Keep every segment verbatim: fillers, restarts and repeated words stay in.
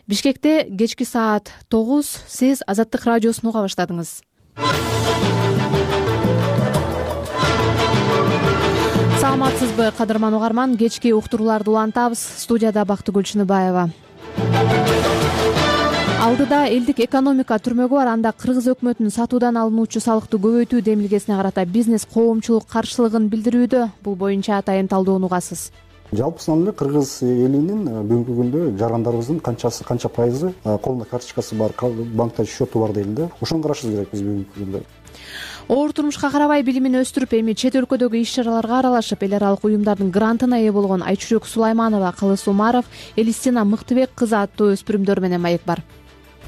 Бишкекте кечки саат тогуз, сиз Азаттык радиосун уга баштадыңыз. Саламатсызбы, кадырман угарман? Кечки уктурууларды улантабыз. Студияда Бактыгүл Чыныбаева. Алдыда элдик экономика түрмөгү бар. Анда Кыргыз өкмөтүнүн сатуудан алынуучу салыкты көбөйтүү демилгесине карата бизнес коомчулук каршылыгын билдирүүдө. Бул боюнча атайын талдоону угасыз. Жалпысынан эле Кыргыз элинин бүгүнкү күндө жарандарыбыздын канчасы канча пайызы колунда карточкасы бар, банкта счету бар дейли да. Ошону карашыбыз керек биз бүгүнкү күндө. Оор турмушка карабай билимин өстүрүп, эми чет өлкөдөгү иш-чараларга аралашып, эл аралык уюмдардын грантына ээ болгон Айчүрөк Сулайманова, Кылыс Умаров, Элистина Мыктыбек кызы аттуу өспүрүмдөр менен маек бар.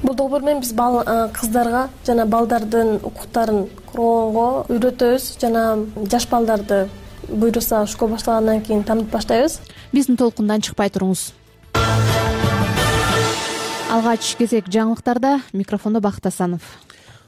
Бул долбоор менен биз кыздарга жана балдардын укуктарын коргоого үйрөтөбүз жана жаш балдарды буйруса школа башталгандан кийин таанып баштайбыз. Биздин толкундан чыкпай туруңуз. Алгач кезек жаңылыктарда, микрофондо Бакыт Асанов.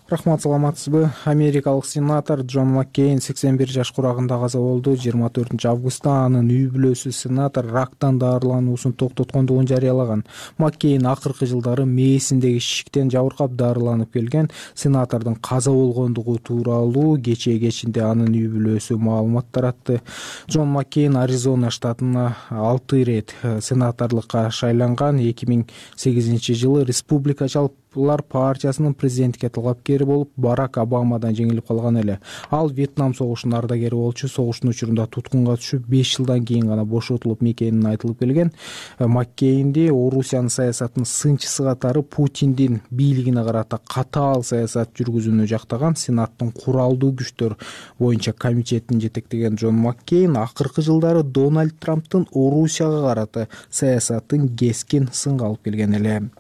Рахмат, саламатсызбы? Америкалык сенатор Джон Маккейн сексен бир жаш курагында каза болду. жыйырма төртүнчү августта анын үй бүлөсү сенатор рактан дарылануусун токтоткондугун жарыялаган. Маккейн акыркы жылдары мээсиндеги шиктен жабыркап дарыланып келген. Сенатордун каза болгондугу тууралуу кечээ кечинде анын үй бүлөсү маалымат таратты. Джон Маккейн Аризона штатына алты ирет сенаторлукка шайланган. эки миң сегизинчи жылы республикачылар партиясынын президенттикке талапкери болуп, Барак Обамадан жеңилип калган эле. Ал Вьетнам согушунун ардагери болчу. Согуштун учурунда туткунга түшүп, беш жылдан кийин гана бошотулуп мекенин айтылып келген. Маккейнди Орусиянын саясатынын сынчысы катары Путиндин бийлигине карата катаал саясат жүргүзүүнү жактаган Сенаттын куралдуу күчтөр боюнча комитетин жетектеген Джон Маккейн акыркы жылдары Дональд Трамптын Орусияга карата саясатын кескин сынга алып келген эле.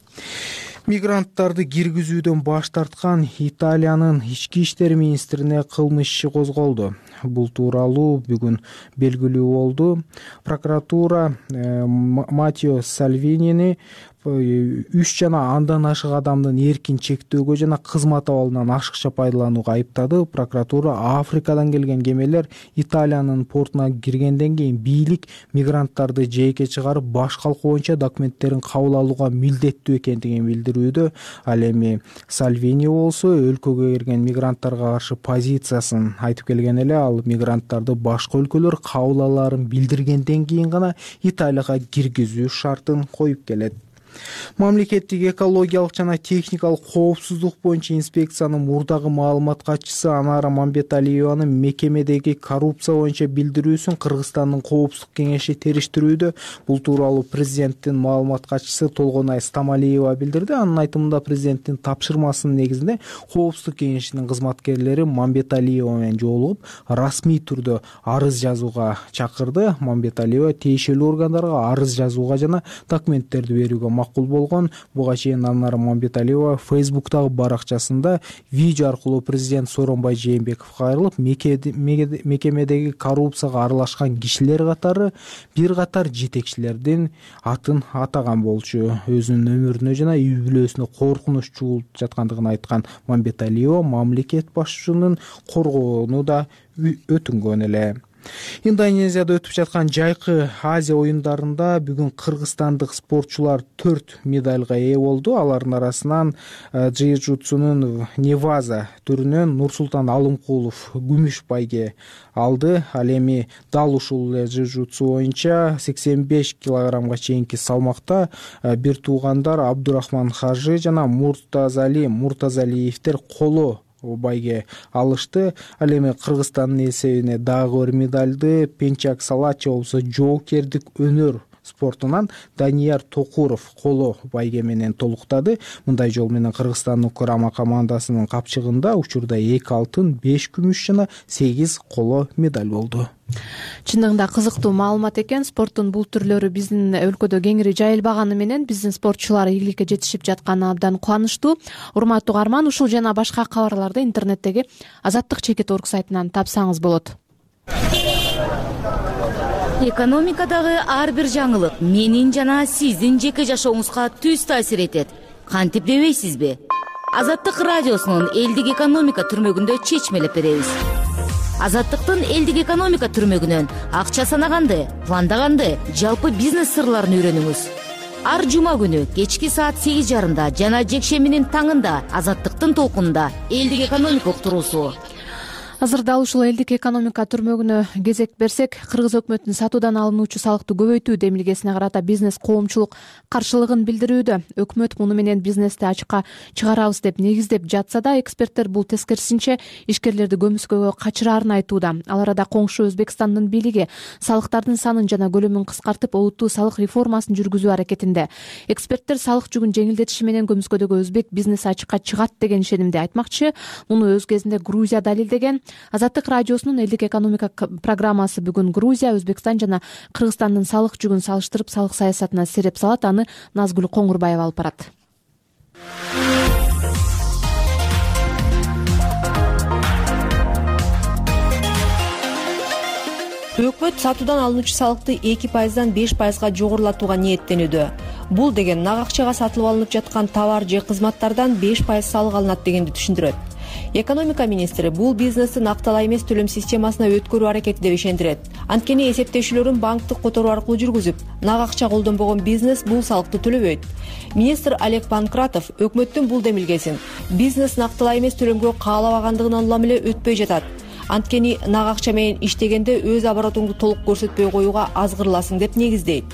Мигранттарды киргизүүдөн баш тарткан Италиянын ички иштер министрине кылмыш иши козголду. Бул тууралуу бүгүн белгилүү болду. Прокуратура Матео Сальвинини үч жана андан ашык адамдын эркин чектөөгө жана кызмат абалынан ашыкча пайдаланууга айыптады. Прокуратура Африкадан келген кемелер Италиянын портуна киргенден кийин бийлик мигранттарды жээкке чыгарып, баш калку боюнча документтерин кабыл алууга милдеттүү экендигин билдирүүдө. Ал эми Сальвини болсо өлкөгө кирген мигранттарга каршы позициясын айтып келген эле. Ал мигранттарды башка өлкөлөр кабыл алаарын билдиргенден кийин гана Италияга киргизүү шартын коюп келет. Мамлекеттик экологиялык жана техникалык коопсуздук боюнча инспекциянын мурдагы маалымат катчысы Анара Мамбеталиеванын мекемедеги коррупция боюнча билдирүүсүн Кыргызстандын коопсуздук кеңеши териштирүүдө. Бул тууралуу президенттин маалымат катчысы Толгонай Стамалиева билдирди. Анын айтымында президенттин тапшырмасынын негизинде коопсуздук кеңешинин кызматкерлери Мамбеталиева менен жолугуп, расмий түрдө арыз жазууга чакырды. Мамбеталиева тиешелүү органдарга арыз жазууга жана документтерди берүүгө макул болгон. Буга чейин Анара Мамбеталиева Фейсбуктагы баракчасында видео аркылуу президент Сооронбай Жээнбековго кайрылып, мекемедеги коррупцияга аралашкан кишилер катары бир катар жетекчилердин атын атаган болчу. Өзүнүн өмүрүнө жана үй бүлөсүнө коркунуч чуулуп жаткандыгын айткан Мамбеталиева мамлекет башчысынын коргоону да өтүнгөн эле. Индонезияда өтүп жаткан жайкы Азия оюндарында бүгүн кыргызстандык спортчулар төрт медальга ээ болду. Алардын арасынан джиу-джитсунун Неваза түрүнөн Нурсултан Алымкулов күмүш байге алды. Ал эми дал ушул джиу-джитсу боюнча сексен беш килограммга чейинки салмакта бир туугандар Абдурахман Хажы жана Муртазали Муртазалиевдер коло байге алышты. Ал эми Кыргызстандын эсебине дагы бир медальды Пенчак Салача болсо жоокердик өнөр спортунан Данияр Токуров коло байге менен толуктады. Мындай жол менен Кыргызстандын курама командасынын капчыгында учурда эки алтын, беш күмүш жана сегиз коло медаль болду. Чындыгында кызыктуу маалымат экен. Спорттун бул түрлөрү биздин өлкөдө кеңири жайылбаганы менен биздин спортчулар ийгиликке жетишип жатканы абдан кубанычтуу. Урматтуу угарман, ушул жана башка кабарларды интернеттеги Азаттык чекит орг сайтынан тапсаңыз болот. Экономикадагы ар бир жаңылык менин жана сиздин жеке жашооңузга түз таасир этет. Кантип дебейсизби? Азаттык радиосунун элдик экономика түрмөгүндө чечмелеп беребиз. Азаттыктын элдик экономика түрмөгүнөн акча санаганды, пландаганды, жалпы бизнес сырларын үйрөнүңүз. Ар жума күнү кечки саат сегиз жарымда жана жекшембинин таңында Азаттыктын толкунунда элдик экономика уктуруусу. Азыр дал ушул элдик экономика түрмөгүнө кезек берсек, Кыргыз өкмөтүнүн сатуудан алынуучу салыкты көбөйтүү демилгесине карата бизнес коомчулук каршылыгын билдирүүдө. Өкмөт муну менен бизнести ачыкка чыгарабыз деп негиздеп жатса да, эксперттер бул тескерисинче ишкерлерди көмүскөгө качырарын айтууда. Ал арада коңшу Өзбекстандын бийлиги салыктардын санын жана көлөмүн кыскартып, олуттуу салык реформасын жүргүзүү аракетинде. Эксперттер салык жүгүн жеңилдетиши менен көмүскөдөгү өзбек бизнеси ачыкка чыгат деген ишенимде айтмакчы. Муну өз кезинде Грузия далилдеген. Азаттык радиосунун элдик экономика программасы бүгүн Грузия, Өзбекстан жана Кыргызстандын салык жүгүн салыштырып, салык саясатына сереп салат. Аны Назгүл Коңурбаева алып барат. Өкмөт сатуудан алынуучу салыкты эки пайыздан беш пайызга жогорулатууга ниеттенүүдө. Бул деген нак акчага сатылып алынып жаткан товар же кызматтардан беш пайыз салык алынат дегенди түшүндүрөт. Экономика министри бул бизнести накталай эмес төлөм системасына өткөрүү аракети деп ишендирет. Анткени эсептешүүлөрүн банктык которуу аркылуу жүргүзүп, нак акча колдонбогон бизнес бул салыкты төлөбөйт. Министр Олег Панкратов өкмөттүн бул демилгесин бизнес накталай эмес төлөмгө каалабагандыгынан улам эле өтпөй жатат. Анткени нак акча менен иштегенде өз оборотуңду толук көрсөтпөй коюуга азгырыласың деп негиздейт.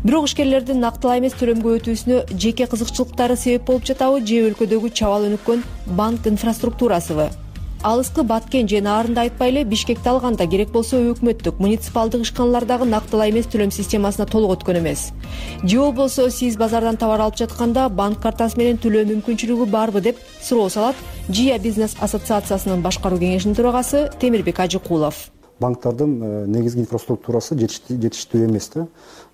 Бирок ишкерлердин накталай эмес төлөмгө өтүүсүнө жеке кызыкчылыктары себеп болуп жатабы же өлкөдөгү чабал өнүккөн банк инфраструктурасыбы? Алыскы Баткен же Наарында айтпай эле Бишкекти алганда керек болсо өкмөттүк, муниципалдык ишканалардагы накталай эмес төлөм системасына толук өткөн эмес. Же болбосо сиз базардан товар алып жатканда банк картасы менен төлөө мүмкүнчүлүгү барбы деп суроо салат Жия бизнес ассоциациясынын башкаруу кеңешинин төрагасы Темирбек Ажыкулов. Банктардын негизги инфраструктурасы жетиштүү эмес да.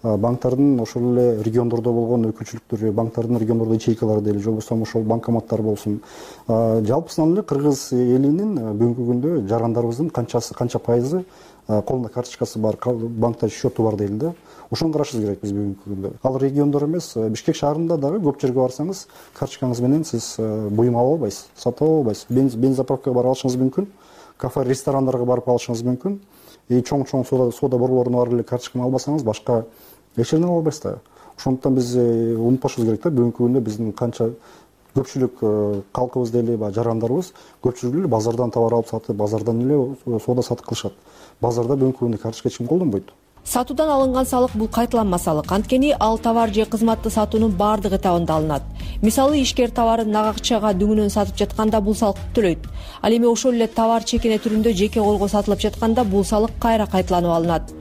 Банктардын ошол эле региондордо болгон өкүлчүлүктөрү, банктардын региондордо ячейкалары дейли, же болбосо ошол банкоматтар болсун. Жалпысынан эле Кыргыз элинин бүгүнкү күндө жарандарыбыздын канчасы, канча пайызы колунда карточкасы бар, банкта счету бар дейли да. Ошону карашыбыз керек биз бүгүнкү күндө. Ал региондор эмес, Бишкек шаарында дагы көп жерге барсаңыз, карточкаңыз менен сиз буюм ала албайсыз, сатып ала албайсыз. Бензопровкага барып алышыңыз мүмкүн. Кафе, ресторандарга барып алышыңыз мүмкүн. И чоң-чоң сода, сода борборлоруна барып эле карточканы албасаңыз, башка эч жерден ала албайсыз да. Ошондуктан биз унутпашыбыз керек да, бүгүнкү күндө биздин канча көпчүлүк калкыбыз дейли, жарандарыбыз көпчүлүгү эле базардан товар алып сатып, базардан эле сода сатып кылышат. Базарда бүгүнкү күндө карточка эч ким колдонбойт. Сатуудан алынган салык бул кайталанма салык. Анткени ал товар же кызматты сатуунун баардык этабында алынат. Мисалы, ишкер товарын нак акчага дүңүнөн сатып жатканда бул салыкты төлөйт. Ал эми ошол эле товар чекене түрүндө жеке колго сатылып жатканда бул салык кайра кайталанып алынат.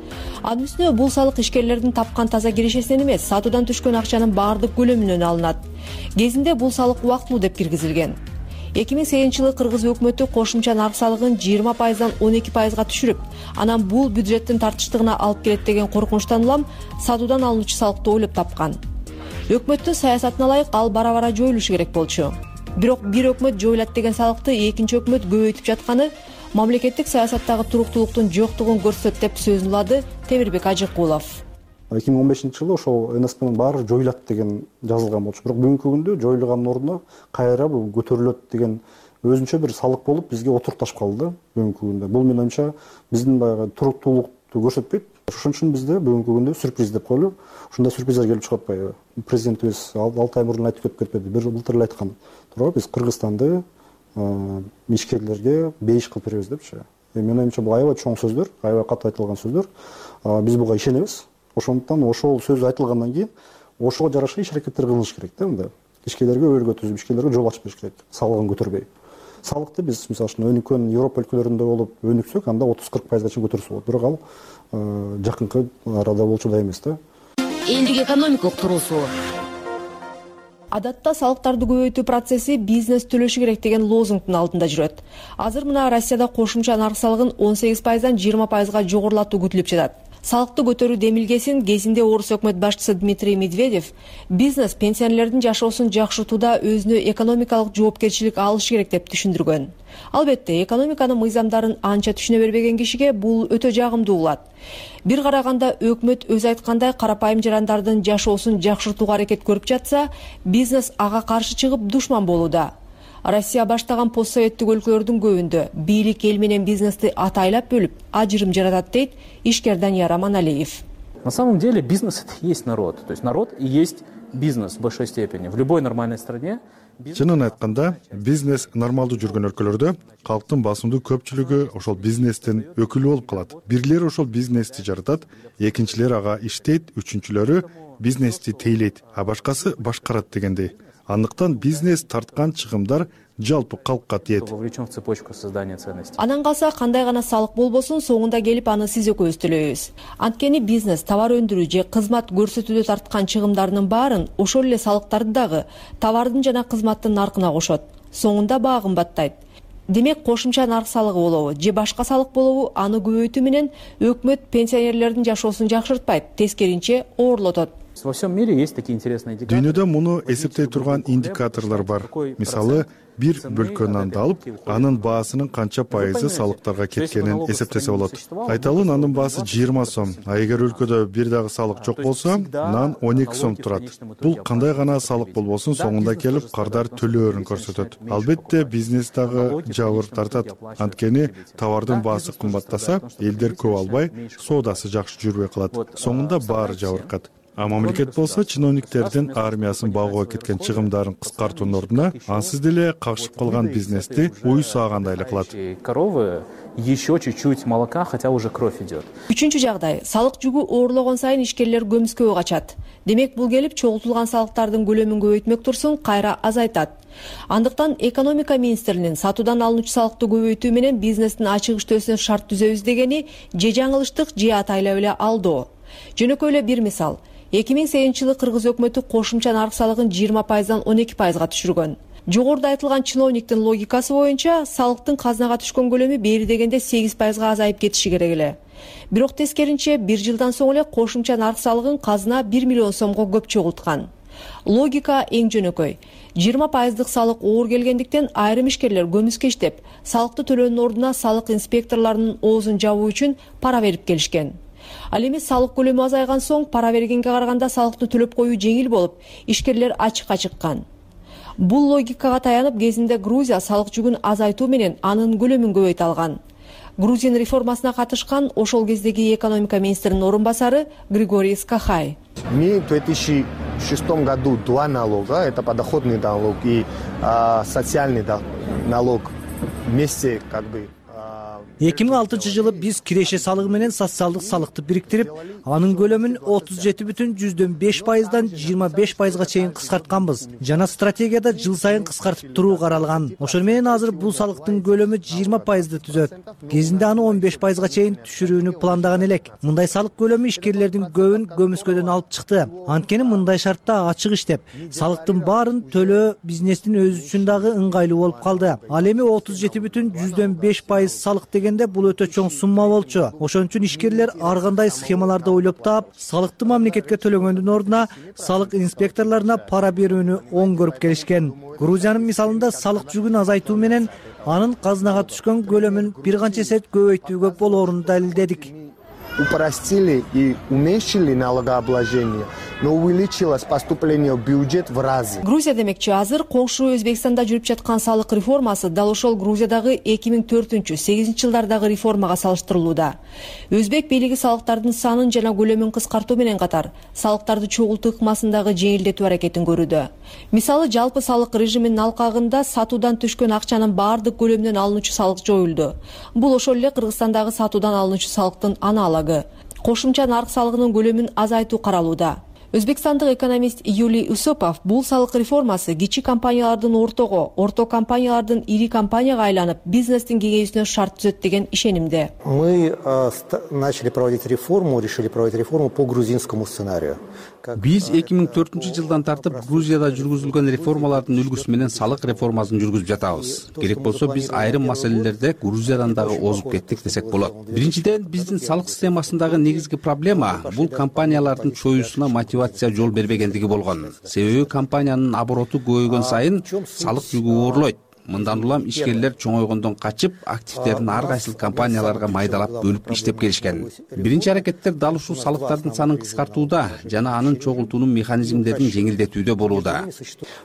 Анын үстүнө бул салык ишкерлердин тапкан таза кирешесинен эмес, сатуудан түшкөн акчанын баардык көлөмүнөн алынат. Кезинде бул салык убактылуу деп киргизилген. эки миң сегизинчи жылы Кыргыз өкмөтү кошумча нарк салыгын жыйырма пайыздан он эки пайызга түшүрүп, анан бул бюджеттин тартыштыгына алып келет деген коркунучтан улам сатуудан алынуучу салыкты ойлоп тапкан. Өкмөттүн саясатына ылайык ал бара-бара жоюлушу керек болчу. Бирок бир өкмөт жоюлат деген салыкты экинчи өкмөт көбөйтүп жатканы мамлекеттик саясаттагы туруктуулуктун жоктугун көрсөтөт деп сөзүн улады Темирбек Ажыкулов. эки миң он бешинчи жылы ошол эн эс пнын баары жоюлат деген жазылган болчу. Бирок бүгүнкү күндө жоюлганын ордуна кайра бул көтөрүлөт деген өзүнчө бир салык болуп бизге отурташып калды да бүгүнкү күндө. Бул менин оюмча биздин баягы туруктуулукту көрсөтпөйт. Ошон үчүн бизде бүгүнкү күндө сюрприз деп коелу. Ушундай сюрприздер келип чыгат баягы. Президентибиз алты ай мурун айтып кетип кетпеди. Бир былтыр эле айткан. Туурабы, биз Кыргызстанды ишкерлерге бейиш кылып беребиз депчи. Менин оюмча бул аябай чоң сөздөр, аябай катуу айтылган сөздөр. Биз буга ишенебиз. Ошондуктан ошол сөз айтылгандан кийин ошого жараша иш аракеттер кылыныш керек да мында. Ишкерлерге өбөлгө түзүп, ишкерлерге жол ачып бериш керек. Салыгын көтөрбөй. Салыкты биз мисалы үчүн өнүккөн Европа өлкөлөрүндө болуп өнүксөк, анда отуз кырк пайызга чейин көтөрсө болот. Бирок ал жакынкы арада болчу эмес да. Элдик экономика уктуруусу. Адатта салыктарды көбөйтүү процесси бизнес төлөшү керек деген лозунгдун алдында жүрөт. Азыр мына Россияда кошумча нарк салыгын он сегиз пайыздан жыйырма пайызга жогорулатуу күтүлүп жатат. Салыкты көтөрүү демилгесин кезинде орус өкмөт башчысы Дмитрий Медведев бизнес пенсионерлердин жашоосун жакшыртууда өзүнө экономикалык жоопкерчилик алышы керек деп түшүндүргөн. Албетте, экономиканын мыйзамдарын анча түшүнө бербеген кишиге бул өтө жагымдуу болот. Бир караганда өкмөт өз айткандай карапайым жарандардын жашоосун жакшыртууга аракет көрүп жатса, бизнес ага каршы чыгып душман болууда. Россия баштаган постсоветтик өлкөлөрдүн көбүндө бийлик эл менен бизнести атайлап бөлүп, ажырым жаратат дейт ишкер Данияр Аманалиев. На самом деле бизнес — это и есть народ. То есть народ и есть бизнес в большой степени. В любой нормальной стране. Чынын айтканда, бизнес нормалдуу жүргөн өлкөлөрдө калктын басымдуу көпчүлүгү ошол бизнестин өкүлү болуп калат. Бирлери ошол бизнести жаратат, экинчилери ага иштейт, үчүнчүлөрү бизнести тейлейт, а башкасы башкарат дегендей. Андыктан бизнес тарткан чыгымдар жалпы калкка тиет. Вовлечен в цепочку создания ценностей. Анан калса кандай гана салык болбосун, соңунда келип аны сиз экөөбүз төлөйбүз. Анткени бизнес товар өндүрүү же кызмат көрсөтүүдө тарткан чыгымдарынын баарын ошол эле салыктарды дагы товардын жана кызматтын наркына кошот. Соңунда баа кымбаттайт. Демек, кошумча нарк салыгы болобу же башка салык болобу, аны көбөйтүү менен өкмөт пенсионерлердин жашоосун жакшыртпайт, тескеринче оорлотот. Во всем мире есть такие интересные индикаторы. Дүйнөдө муну эсептей турган индикаторлор бар. Мисалы, бир бөлкө нанды алып, анын баасынын канча пайызы салыктарга кеткенин эсептесе болот. Айталы, нандын баасы жыйырма сом, а эгер өлкөдө бир дагы салык жок болсо, нан он эки сом турат. Бул кандай гана салык болбосун, соңунда келип кардар төлөөрүн көрсөтөт. Албетте, бизнес дагы жабыр тартат. Анткени товардын баасы кымбаттаса, элдер көп албай, соодасы жакшы жүрбөй калат. Соңунда баары жабыркат. А мамлекет болсо чиновниктердин армиясын багууга кеткен чыгымдарын кыскартуунун ордуна ансыз деле кагышып калган бизнести уй саагандай эле кылат. Коровы еще чуть-чуть молока, хотя уже кровь идет. Үчүнчү жагдай, салык жүгү оорлогон сайын ишкерлер көмүскөгө качат. Демек, бул келип чогултулган салыктардын көлөмүн көбөйтмөк турсун кайра азайтат. Андыктан экономика министринин сатуудан алынуучу салыкты көбөйтүү менен бизнестин ачык иштөөсүнө шарт түзөбүз дегени же жаңылыштык же атайлап эле алдоо. Жөнөкөй эле бир мисал. эки миң сегизинчи жылы Кыргыз өкмөтү кошумча нарк салыгын жыйырма пайыздан он эки пайызга түшүргөн. Жогоруда айтылган чиновниктин логикасы боюнча салыктын казынага түшкөн көлөмү бери дегенде сегиз пайызга азайып кетиши керек эле. Бирок тескеринче бир жылдан соң эле кошумча нарк салыгын казына бир миллион сомго көп чогулткан. Логика эң жөнөкөй. жыйырма пайыздык салык оор келгендиктен айрым ишкерлер көмүскө иштеп, салыкты төлөөнүн ордуна салык инспекторлорунун оозун жабуу үчүн пара берип келишкен. Ал эми салык көлөмү азайган соң пара бергенге караганда салыкты төлөп коюу жеңил болуп, ишкерлер ачыкка чыккан. Бул логикага таянып кезинде Грузия салык жүгүн азайтуу менен анын көлөмүн көбөйтө алган. Грузин реформасына катышкан ошол кездеги экономика министринин орун басары Григорий Скахай. Мы в две тысячи шестом году два налога, это подоходный налог и а, социальный налог вместе как бы. эки миң алтынчы жылы биз киреше салыгы менен социалдык салыкты бириктирип, анын көлөмүн отуз жети бүтүн жүздөн беш пайыздан жыйырма беш пайызга чейин кыскартканбыз. Жана стратегияда жыл сайын кыскартып туруу каралган. Ошол менен азыр бул салыктын көлөмү жыйырма пайызды түзөт. Кезинде аны он беш пайызга чейин түшүрүүнү пландаган элек. Мындай салык көлөмү ишкерлердин көбүн көмүскөдөн алып чыкты. Анткени мындай шартта ачык иштеп, салыктын баарын төлөө бизнестин өзү үчүн дагы ыңгайлуу болуп калды. Ал эми отуз жети бүтүн жүздөн беш пайыз салык бул өтө чоң сумма болчу. Ошон үчүн ишкерлер ар кандай схемаларды ойлоп таап, салыкты мамлекетке төлөгөндүн ордуна салык инспекторлоруна пара берүүнү оң көрүп келишкен. Грузиянын мисалында салык жүгүн азайтуу менен анын казынага түшкөн көлөмүн бир канча эсе көбөйтүүгө болоорун далилдедик. Упростили и уменьшили налогообложение, но увеличилось поступление в бюджет в разы. Грузия демекчи, азыр коңшу Өзбекстанда жүрүп жаткан салык реформасы дал ошол Грузиядагы эки миң төртүнчү сегизинчи жылдардагы реформага салыштырылууда. Өзбек бийлиги салыктардын санын жана көлөмүн кыскартуу менен катар, салыктарды чогултуу ыкмасындагы жеңилдетүү аракетин көрүүдө. Мисалы, жалпы салык режиминин алкагында сатуудан түшкөн акчанын баардык көлөмүнөн алынуучу салык жоюлду. Бул ошол эле Кыргызстандагы сатуудан алынуучу салыктын аналогу. Кошумча нарк салыгынын көлөмүн азайтуу каралууда. Өзбекстандык экономист Юлий Усопов бул салык реформасы кичи компаниялардын ортого, орто компаниялардын ири компанияга айланып, бизнестин кеңейүүсүнө шарт түзөт деген ишенимде. Мы начали проводить реформу, решили проводить реформу по грузинскому сценарию. Биз эки миң төртүнчү жылдан тартып Грузияда жүргүзүлгөн реформалардын үлгүсү менен салык реформасын жүргүзүп жатабыз. Керек болсо биз айрым маселелерде Грузиядан дагы озуп кеттик десек болот. Биринчиден, биздин салык системасындагы негизги проблема бул компаниялардын чоюусуна мотивация жол бербегендиги болгон. Себеби компаниянын обороту көбөйгөн сайын салык жүгү оорлойт. Мындан улам ишкерлер чоңойгондон качып, активдерин ар кайсыл компанияларга майдалап бөлүп иштеп келишкен. Биринчи аракеттер дал ушул салыктардын санын кыскартууда жана анын чогултуунун механизмдерин жеңилдетүүдө болууда.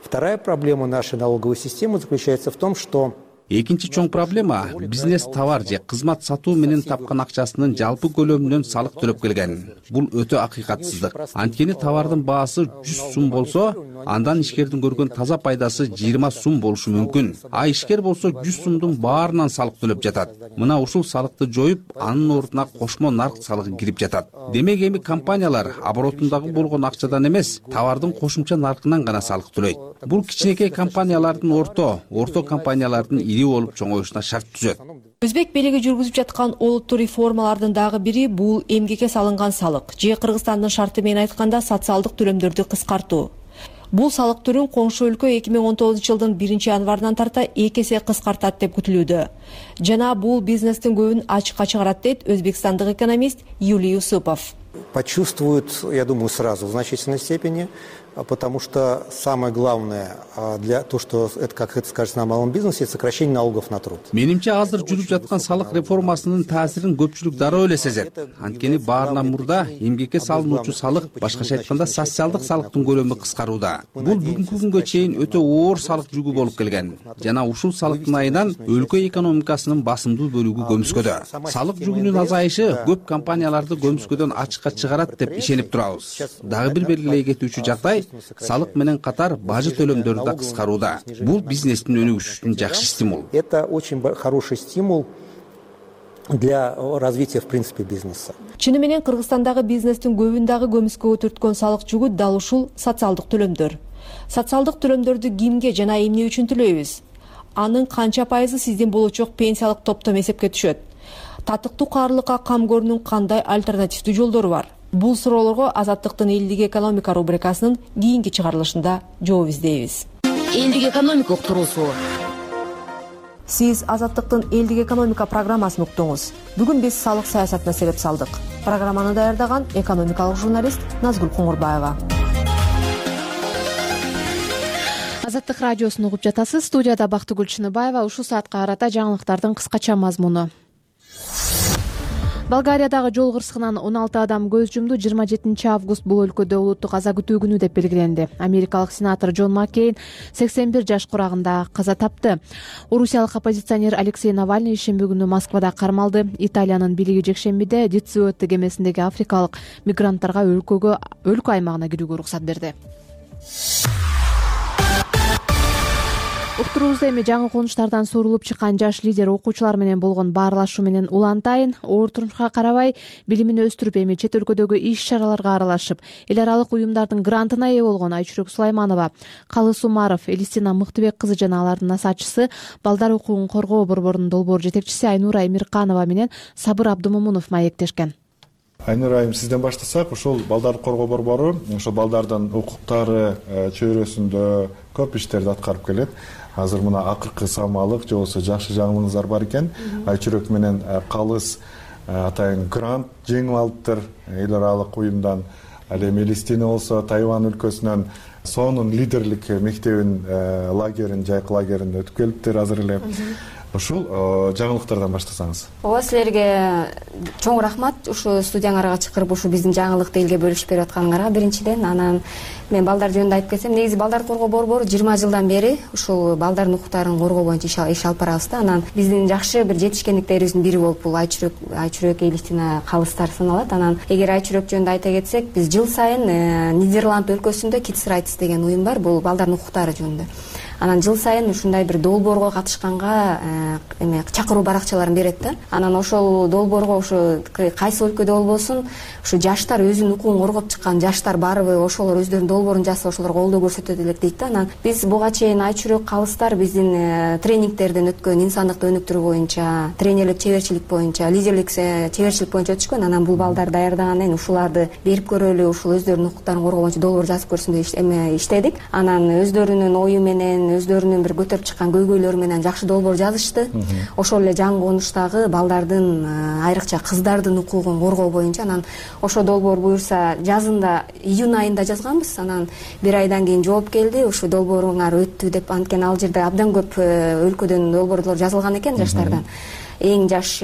Вторая проблема нашей налоговой системы заключается в том, что Экинчи чоң проблема — бизнес товар же кызмат сатуу менен тапкан акчасынын жалпы көлөмүнөн салык төлөп келген. Бул өтө акыйкатсыздык. Анткени товардын баасы жүз сум болсо, андан ишкердин көргөн таза пайдасы жыйырма сум болушу мүмкүн. А ишкер болсо жүз сумдун баарынан салык төлөп жатат. Мына ушул салыкты жоюп, анын ордуна кошмо нарк салыгы кирип жатат. Демек эми компаниялар оборотундагы болгон акчадан эмес, товардын кошумча наркынан гана салык төлөйт. Бул кичинекей компаниялардын орто, орто компаниялардын ири болуп чоңоюшуна шарт түзөт. Өзбек бийлиги жүргүзүп жаткан олуттуу реформалардын дагы бири бул эмгекке салынган салык же Кыргызстандын шарты менен айтканда социалдык төлөмдөрдү кыскартуу. Бул салык түрүн коңшу өлкө эки миң он тогузунчу жылдын биринчи январынан тарта эки эсе кыскартат деп күтүлүүдө. Жана бул бизнестин көбүн ачыкка чыгарат дейт өзбекстандык экономист Юлий Юсупов. Почувствуют, я думаю, сразу в значительной степени, потому что самое главное для то, что это, как это скажется на малом бизнесе, это сокращение налогов на труд. Менимче азыр жүрүп жаткан салык реформасынын таасирин көпчүлүк дароо эле сезет. Анткени баарынан мурда эмгекке салынуучу салык, башкача айтканда социалдык салыктын көлөмү кыскарууда. Бул бүгүнкү күнгө чейин өтө оор салык жүгү болуп келген. Жана ушул салыктын айынан өлкө экономикасынын басымдуу бөлүгү көмүскөдө. Салык жүгүнүн азайышы көп компанияларды көмүскөдөн ачыкка чыгарат деп ишенип турабыз. Дагы бир белгилей кетүүчү жагдай салык менен катар бажы төлөмдөрү да кыскарууда. Бул бизнестин өнүгүшүнүн жакшы стимул. Это очень хороший стимул для развития в принципе бизнеса. Чыны менен Кыргызстандагы бизнестин көбүн дагы көмүскөгө түрткөн салык жүгү дал ушул социалдык төлөмдөр. Социалдык төлөмдөрдү кимге жана эмне үчүн төлөйбүз? Анын канча пайызы сиздин болочок пенсиялык топтом эсепке түшөт? Татыктуу каарылыкка камкорунун кандай альтернативдүү жолдору бар? Бул суроолорго Азаттыктын элдик экономика рубрикасынын кийинки чыгарылышында жооп издейбиз. Элдик экономика уктуруусу. Сиз Азаттыктын элдик экономика программасын уктуңуз. Бүгүн биз салык саясатына сереп салдык. Программаны даярдаган экономикалык журналист Назгүл Коңурбаева. Азаттык радиосун угуп жатасыз. Студияда Бактыгүл Чыныбаева. Ушул саатка карата жаңылыктардын кыскача мазмуну. Болгариядагы жол кырсыгынан он алты адам көз жумду. жыйырма жетинчи август бул өлкөдө улуттук аза күтүү күнү деп белгиленди. Америкалык сенатор Джон Маккейн сексен бир жаш курагында каза тапты. Орусиялык оппозиционер Алексей Навальный ишемби күнү Москвада кармалды. Италиянын бийлиги жекшембиде Дициотто кемесиндеги африкалык мигранттарга өлкөгө өлкө аймагына кирүүгө уруксат берди. Уктуруубузда эми жаңы конуштардан сурулуп чыккан жаш лидер окуучулар менен болгон баарлашуу менен улантайын. Оор турмушка карабай билимин өстүрүп, эми чет өлкөдөгү иш-чараларга аралашып, эл аралык уюмдардын грантына ээ болгон Айчүрөк Сулайманова, Калыс Умаров, Элистина Мыктыбек кызы жана алардын насаатчысы, балдар укугун коргоо борборунун долбоор жетекчиси Айнура Эмирканова менен Сабыр Абдымомунов маектешкен. Айнура айым, сизден баштасак, ушул балдарды коргоо борбору ошол балдардын укуктары чөйрөсүндө көп иштерди аткарып келет. Азыр мына акыркы самалык же болбосо жакшы жаңылыгыңыздар бар экен. Айчүрөк менен Калыс атайын грант жеңип алыптыр эл аралык уюмдан. Ал эми Элистина болсо Тайвань өлкөсүнөн сонун лидерлик мектебин лагерин, жайкы лагерин өтүп келиптир азыр эле. Ушул жаңылыктардан баштасаңыз. Ооба, силерге чоң рахмат ушу студияңарга чакырып ушу биздин жаңылыкты элге бөлүшүп берип атканыңарга биринчиден. Анан мен балдар жөнүндө айтып кетсем, негизи балдар коргоо борбору жыйырма жылдан бери ушул балдардын укуктарын коргоо боюнча иш алып барабыз да. Анан биздин жакшы бир жетишкендиктерибиздин бири болуп бул Айчүрөк, Айчүрөк, Элистина, Калыстар саналат. Анан эгер Айчүрөк жөнүндө айта кетсек, биз жыл сайын Нидерланд өлкөсүндө Kids Rights деген уюм бар, бул балдардын укуктары жөнүндө. Анан жыл сайын ушундай бир долбоорго катышканга эме чакыруу баракчаларын берет да. Анан ошол долбоорго ушу кайсы өлкөдө болбосун, ушу жаштар өзүнүн укугун коргоп чыккан жаштар барбы, ошолор өздөрүнүн долбоорун жазса, ошолорго колдоо көрсөтөт элек дейт да. Анан биз буга чейин Айчүрөк, Калыстар биздин тренингтерден өткөн инсандыкты өнүктүрүү боюнча, тренерлик чеберчилик боюнча, лидерлик чеберчилик боюнча өтүшкөн. Анан бул балдар даярдагандан кийин ушуларды берип көрөлү, ушул өздөрүнүн укуктарын коргоо боюнча долбоор жазып көрсүн деп эме иштедик. Анан өздөрүнүн ою менен, өздөрүнүн бир көтөрүп чыккан көйгөйлөрү менен жакшы долбоор жазышты. Ошол эле жаңы конуштагы балдардын, айрыкча кыздардын укугун коргоо боюнча. Анан ошо долбоор буюрса жазында, июнь айында жазганбыз. Анан бир айдан кийин жооп келди, ушу долбооруңар өттү деп. Анткени ал жерде абдан көп өлкөдөн долбоорлор жазылган экен жаштардан. Эң жаш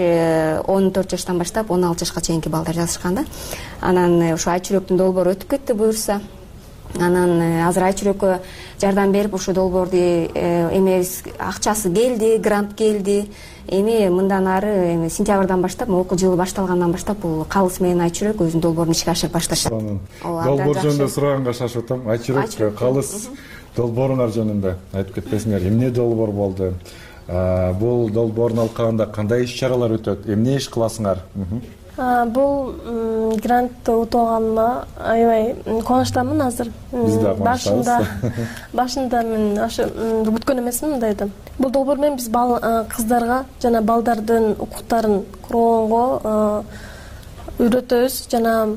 он төрт жаштан баштап он алты жашка чейинки балдар жазышкан да. Анан ушу Айчүрөктүн долбоору өтүп кетти буюрса. анан азыр Айчүрөккө жардам берип ушу долбоорду эме акчасы келди, грант келди. Эми мындан ары эми сентябрдан баштап, окуу жылы башталгандан баштап бул Калыс менен Айчүрөк өзүнүн долбоорун ишке ашырып башташат. Долбоор жөнүндө сураганга шашып атам. Айчүрөк, Калыс долбооруңар жөнүндө айтып кетпесиңер. Эмне долбоор болду? Бул долбоорун алкаганда кандай иш-чаралар өтөт? Эмне иш кыласыңар? Бул грантты утуп алганыма аябай кубанычтамын азыр. Башында башында мен ошо күткөн эмесмин мындайды. Бул долбоор менен биз кыздарга жана балдардын укуктарын коргоого үйрөтөбүз, жана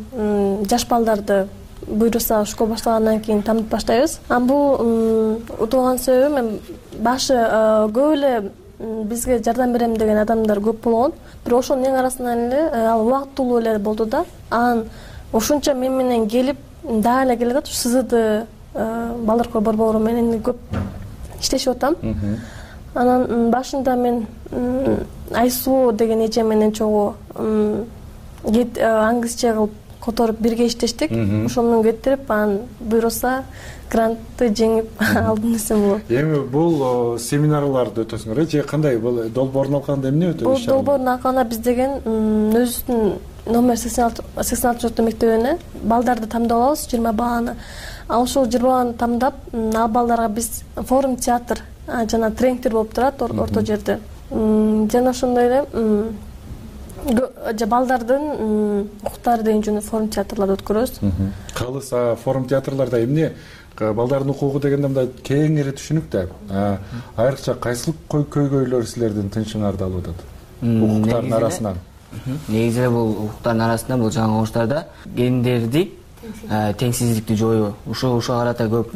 жаш балдарды буйруса школа башталгандан кийин танып баштайбыз. Анан бул утуп алган себебим мен башы көп эле бизге жардам берем деген адамдар көп болгон. Бирок ошонун эң арасынан эле ал убактылуу эле болду да. Анан ушунча мен менен келип дагы эле келе атат. СЗД балдар коргоо борбору менен көп иштешип атам. Анан башында мен Айсуу деген эже менен чогуу англисче кылып которуп бирге иштештик. Ошол менен кетирип, анан буйруса грантты жеңип алдым десем болот. Эми бул семинарларды өтөсүңөр же кандай? Бул долбоорун алганда эмне өтөт? Бул долбоорун алганда биз деген өзүбүздүн номер сексен алты жолдо мектебине балдарды тамдап алабыз, жыйырма баланы. Ал ошол жыйырма баланы тамдап, ал балдарга биз форум театр жана тренингдер болуп турат орто жерде. Жана ошондой эле балдардын укуктары деген жөнүндө форум театрларды өткөрөбүз. Калыс форум театрларда эмне? Балдардын укугу дегенде мындай кеңири түшүнүктө. Айрыкча кайсыл көйгөйлөр силердин тынчыңарды алып атат? Укуктардын арасынан. Негизи бул укуктардын арасында бул жаңы оңуштарда гендерди теңсиздикти жоюу. Ушул ушуга карата көп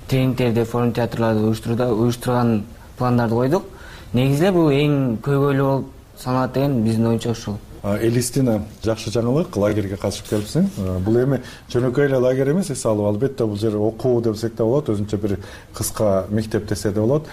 тренингдерди, форум театрларды уюштурган пландарды койдук. Негизи бул эң көйгөйлүү болуп саналат деген биздин оюнча ушул. Элистина, жакшы жаңылык, лагерге катышып келипсиң. Бул эми жөнөкөй эле лагерь эмес, эс алып, албетте бул жер окуу десек да болот, өзүнчө бир кыска мектеп десе да болот.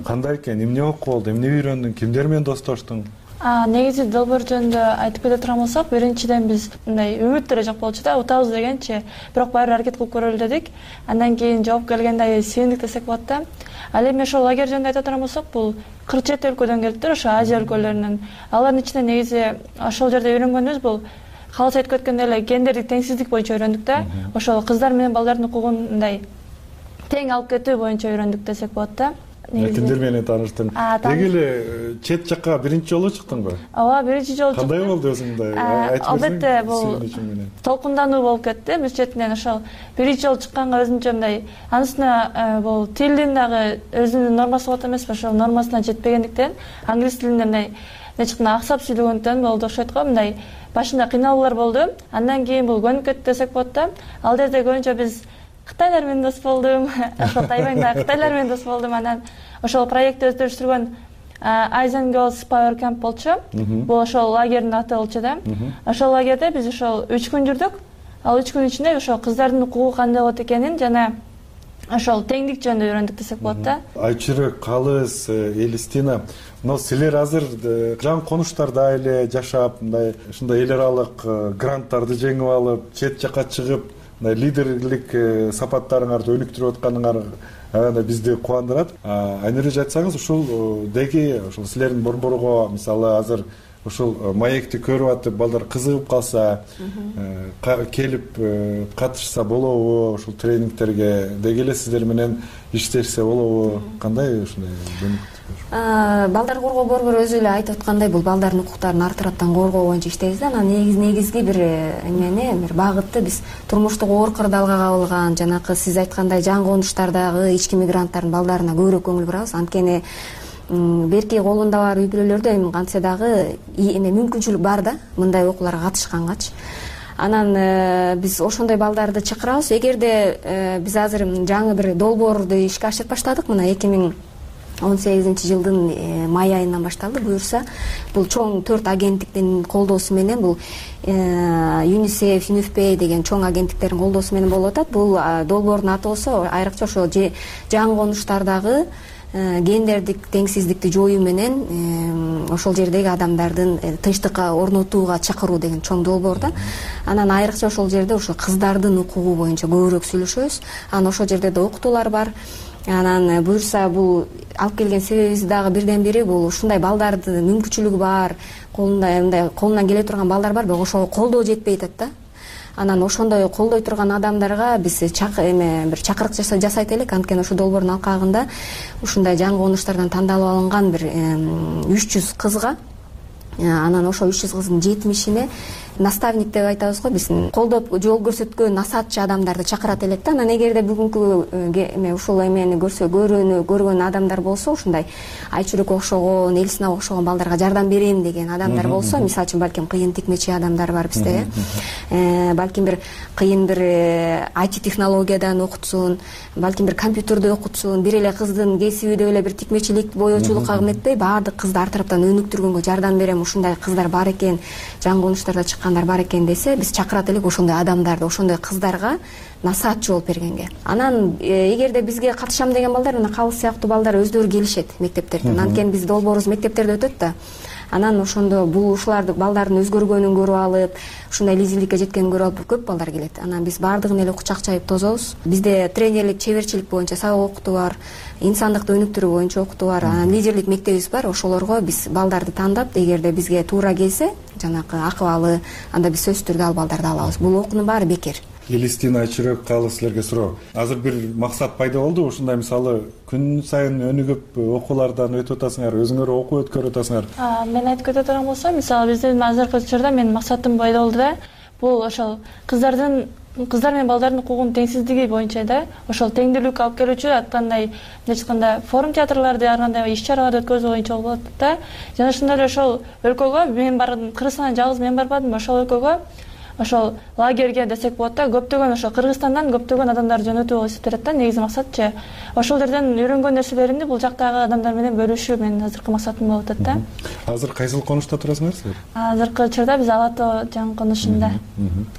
Кандай экен, эмне окуу болду, эмне үйрөндүң, кимдер менен достоштуң? Негизи долбоор жөнүндө айтып кете турган болсок, биринчиден биз мындай үмүт деле жок болчу да, утабыз дегенчи, бирок баары аракет кылып көрөлү дедик. Андан кийин жооп келгенде сүйүндүк десек болот да. Ал эми ошол лагерь жөнүндө айта турган болсок, бул кырк жети өлкөдөн келиптир, ошо Азия өлкөлөрүнөн. Алардын ичинде негизи ошол жерде үйрөнгөнүбүз бул калыс айтып өткөндөй эле гендердик теңсиздик боюнча үйрөндүк да. Ошол кыздар менен балдардын укугун мындай тең алып кетүү боюнча үйрөндүк десек болот да. Кимдер менен тааныштың? Деги эле чет жакка биринчи жолу чыктыңбы? Ооба, биринчи жолу чыктым. Кандай болду өзүңдөй? Албетте, бул толкундануу болуп кетти биз четинен. Ошол биринчи жолу чыкканга өзүнчө мындай анысына бул тилдин дагы өзүнүн нормасы болот эмеспи? Ошол нормасына жетпегендиктен англис тилинде мындай нечкина аксап сүйлөгөндөн болду окшойт го. Мындай башында кыйналуулар болду. Андан кийин бул көнүп кетти десек болот да. Ал жерде көбүнчө биз Кытайлар менен дос болдум. Ошол Тайваньда Кытайлар менен дос болдум. Анан ошол проектти өздөрүштүргөн Aizen Girls Power Camp болчу. Бул ошол лагердин аты болчу да. Ошол лагерде биз ошол үч күн жүрдүк. Ал үч күн ичинде ошол кыздардын укугу кандай болот экенин жана ошол теңдик жөнүндө үйрөндүк десек болот да. Айчүрөк, Калыс, Элистина, но силер азыр жан конуштарда эле жашап, мындай ушундай эл аралык гранттарды жеңип алып, чет жакка чыгып, лидерлик сапаттарыңарды өнүктүрүп атканыңар аябай бизди кубандырат. Айнур эже айтсаңыз, ушул деги ушул силердин борборго мисалы азыр ушул маекти көрүп атып, балдар кызыгып калса, келип катышса болобу, ушул тренингтерге деги эле сиздер менен иштешсе болобу? Кандай ушундай балдар коргоо борбору өзү эле айтып аткандай, бул балдардын укуктарын артыраттан коргоо боюнча иштейбиз да. Анан негизи негизги бир эмени, бир багытты биз турмуштук оор кырдаалга кабылган, жанакы сиз айткандай жан конуштардагы ички мигранттардын балдарына көбүрөөк көңүл бурабыз. Анткени берки колунда бар үй бүлөлөрдө эми кантсе дагы эме мүмкүнчүлүк бар да, мындай окууларга катышкангачы. Анан биз ошондой балдарды чакырабыз. Эгерде биз азыр жаңы бир долбоорду ишке ашырып баштадык, мына эки миң он сегизинчи жылдын май айынан башталды. Буюрса, бул чоң төрт агенттиктин колдоосу менен, бул ЮНИСЕФ, ЮНИФП деген чоң агенттиктердин колдоосу менен болуп атат. Бул долбоордун аты болсо айрыкча ошо жаңы конуштардагы гендердик теңсиздикти жоюу менен ошол жердеги адамдардын тынчтыкка орнотууга чакыруу деген чоң долбоор да. Анан айрыкча ошол жерде ошо кыздардын укугу боюнча көбүрөөк сүйлөшөбүз. Анан ошол жерде да окутуулар бар. Анан буюрса бул алып келген себебибиз дагы бирден бири бул ушундай балдардын мүмкүнчүлүгү бар, колунда мындай колунан келе турган балдар бар, бирок ошого колдоо жетпей атат да. Анан ошондой колдой турган адамдарга биз эме бир чакырык жасайт элек. Анткени ошол долбоордун алкагында ушундай жаңы конуштардан тандалып алынган бир үч жүз кызга, анан ошол үч жүз кыздын жетимишине наставник деп айтабыз го, биз колдоп жол көрсөткөн насаатчы адамдарды чакырат элек да. Анан эгерде бүгүнкү эме ушул эмени көрсө көрөнү көргөн адамдар болсо, ушундай Айчүрөк окшогон, Элсина окшогон балдарга жардам берем деген адамдар болсо, мисалы үчүн балким кыйын тикмечи адамдар бар бизде, э балким бир кыйын бир ай ти технологиядан окутсун, балким бир компьютерди окутсун, бир эле кыздын кесиби деп эле бир тикмечилик, боёочулукка эметпей, баардык кызды ар тараптан өнүктүргөнгө жардам берем, ушундай кыздар бар экен, жаңы конуштарда чыккандар бар экен десе, биз чакырат элек ошондой адамдарды, ошондой кыздарга насаатчы болуп бергенге. Анан эгерде бизге катышам деген балдар, мына калыс сыяктуу балдар өздөрү келишет мектептерден. Анткени биз долбоорубуз мектептерде өтөт да. Анан ошондо бул ушуларды балдардын өзгөргөнүн көрүп алып, ушундай лидерликке жеткенин көрүп алып көп балдар келет. Анан биз баардыгын эле кучак чайып тозобуз. Бизде тренерлик, чеберчилик боюнча сабак окутуу бар, инсандыкты өнүктүрүү боюнча окутуу бар, анан лидерлик мектебибиз бар. Ошолорго биз балдарды тандап, эгерде бизге туура келсе, жанакы акыбалы, анда биз сөзсүз түрдө ал балдарды алабыз. Бул окуунун баары бекер. Элистина, Айчүрөк, калыс силерге суроо. Азыр бир максат пайда болду, ушундай мисалы күн сайын өнүгүп окуулардан өтүп атасыңар, өзүңөр окуу өткөрүп атасыңар. Мен айтып кете турган болсом, мисалы биздин азыркы учурда менин максатым пайда болду да. Бул ошол кыздардын кыздар менен балдардын укугунун теңсиздиги боюнча да, ошол теңдүүлүккө алып келүүчү аткандай мындайча айтканда форум театрларды ар кандай иш-чараларды өткөзүү боюнча болот да. Жана ошондой эле ошол өлкөгө мен бардым, Кыргызстандан жалгыз мен барбадым, ошол өлкөгө ошол лагерьге десек болот да, көптөгөн ошол Кыргызстандан көптөгөн адамдар жөнөтүү болуп эсептелет да. Негизи максатчы ошол жерден үйрөнгөн нерселеримди бул жактагы адамдар менен бөлүшүү менин азыркы максатым болуп атат да. Азыр кайсыл конушта турасыңар силер? Азыркы учурда биз Ала Тоо жаңы конушунда.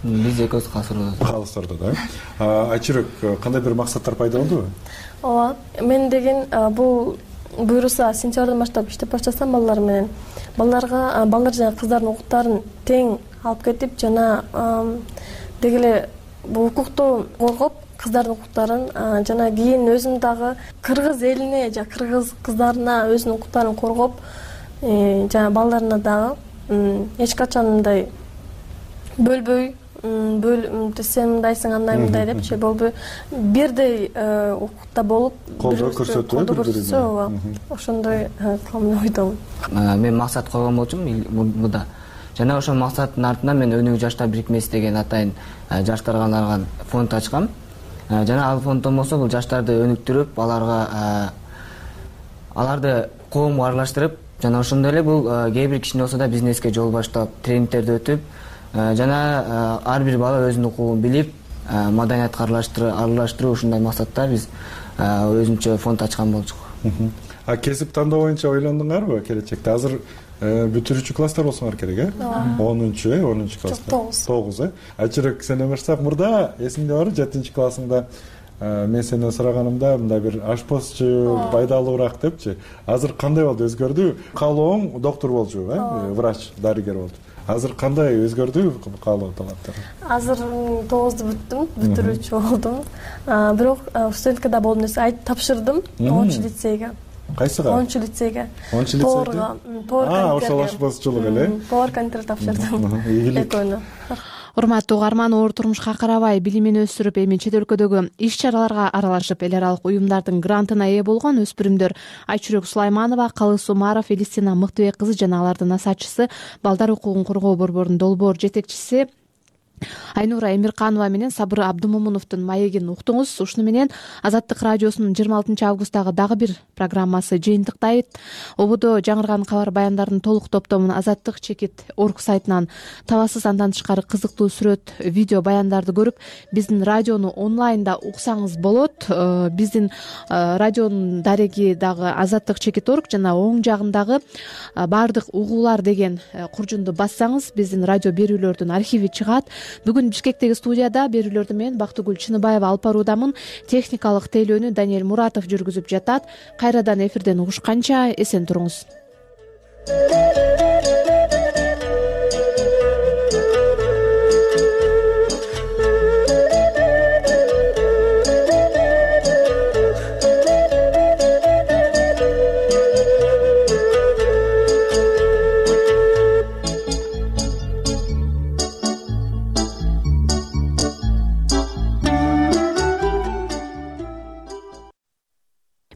Биз экөөбүз Калыс-Ордодо. Калыс-Ордодо да. Айчүрөк, кандай бир максаттар пайда болдубу? Ооба, мен деген бул буюрса сентябрдан баштап иштеп баштасам балдар менен, балдарга балдар жана кыздардын укуктарын тең алып кетип, жана деги эле бул укукту коргоп, кыздардын укуктарын жана кийин өзүм дагы кыргыз элине жана кыргыз кыздарына өзүнүн укуктарын коргоп, жана балдарына дагы эч качан мындай бөлбөй, бөл сен мындайсың, андай мындай депчи болбой, бирдей укукта болуп, колдоо көрсөтүү, көрсөтсө, ооба, ошондой кылган ойдомун. Мен максат койгон болчумун мында. Жана ошол максаттын артынан мен Өнүгүү жаштар бирикмеси деген атайын жаштарга арналган фонд ачкам. Жана ал фонддон болсо бул жаштарды өнүктүрүп, аларга аларды коомго аралаштырып, жана ошондой эле бул кээ бир кичине болсо да бизнеске жол баштап, тренингтерди өтүп, жана ар бир бала өзүнүн укугун билип, маданиятка аралаштыруу, ушундай максатта биз өзүнчө фонд ачкан болчук. А кесип тандоо боюнча ойлондуңарбы келечекте? Азыр бүтүрүүчү класстар болсоңор керек, э? онунчу, э, онунчу класста. тогуз, э? Айчүрөк, сен өмүрсак мурда эсиңде барбы, жетинчи классыңда мен сенден сураганымда мындай бир ашпозчу пайдалуураак депчи. Азыр кандай болду, өзгөрдү? Каалооң доктор болчу, э? Врач, дарыгер болчу. Азыр кандай өзгөрдү каалоо талаптары? Азыр тогузду бүттүм, бүтүрүүчү болдум. Бирок студенткада болдум десе, айт тапшырдым онунчу лицейге. Кайсыга? онунчу лицейге. онунчу лицейге? А, ошол ашпозчулук эле? Повар контр тапшырдым. Экөөнү. Урматтуу угарман, оор турмушка карабай билимин өстүрүп, эми чет өлкөдөгү иш-чараларга аралашып, эл аралык уюмдардын грантына ээ болгон өспүрүмдөр Айчүрөк Сулайманова, Калыс Умаров, Элистина Мыктыбек кызы жана алардын насаатчысы, Балдар укугун коргоо борборунун долбоор жетекчиси Айнура Эмирканова менен Сабыр Абдымомуновдун маегин уктуңуз. Ушуну менен Азаттык радиосунун жыйырма алтынчы августтагы дагы бир программасы жыйынтыктайт. Ободо жаңырган кабар баяндардын толук топтомун Азаттык чекит орг сайтынан табасыз. Андан тышкары кызыктуу сүрөт, видео баяндарды көрүп, биздин радиону онлайнда уксаңыз болот. Биздин радионун дареги дагы Азаттык чекит орг жана оң жагындагы баардык угуулар деген куржунду бассаңыз, биздин радио берүүлөрдүн архиви чыгат. Бүгүн Бишкектеги студияда берүүлөрдү мен Бактыгүл Чыныбаева алып баруудамын. Техникалык тейлөөнү Даниэль Муратов жүргүзүп жатат. Кайрадан эфирден угушканча эсен туруңуз.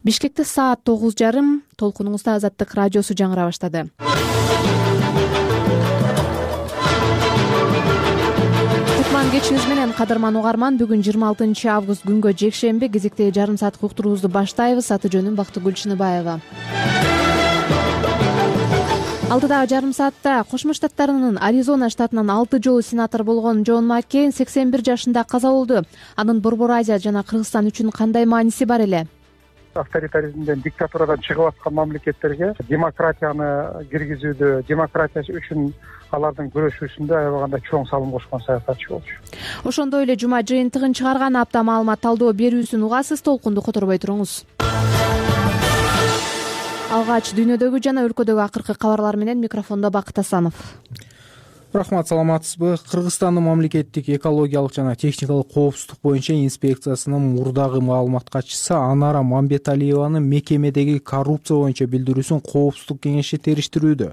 Бишкекте саат тогуз жарым. Толкунуңузда Азаттык радиосу жаңыра баштады. Кутман кечиңиз менен кадырман угарман. Бүгүн жыйырма алтынчы август күнгө жекшемби. Кезектеги жарым сааттык уктуруубузду баштайбыз. Аты жөнүм Бактыгүл Чыныбаева. Алдыдагы жарым саатта Кошмо Штаттарынын Аризона штатынан алты жолу сенатор болгон Джон Маккейн сексен бир жашында каза болду. Анын Борбор Азия жана Кыргызстан үчүн кандай мааниси бар эле? Авторитаризмден, диктатурадан чыгып аткан мамлекеттерге демократияны киргизүүдө, демократия үчүн алардын күрөшүүсүндө аябаганда чоң салым кошкон саясатчы болчу. Ошондой эле жума жыйынтыгын чыгарган апта маалымат талдоо берүүсүн угасыз. Толкунду которбой туруңуз. Алгач дүйнөдөгү жана өлкөдөгү акыркы кабарлар менен микрофондо Бакыт Асанов. Рахмат, саламатсызбы? Кыргызстандын мамлекеттик экологиялык жана техникалык коопсуздук боюнча инспекциясынын мурдагы маалымат катчысы Анара Мамбеталиеванын мекемедеги коррупция боюнча билдирүүсүн коопсуздук кеңеши териштирүүдө.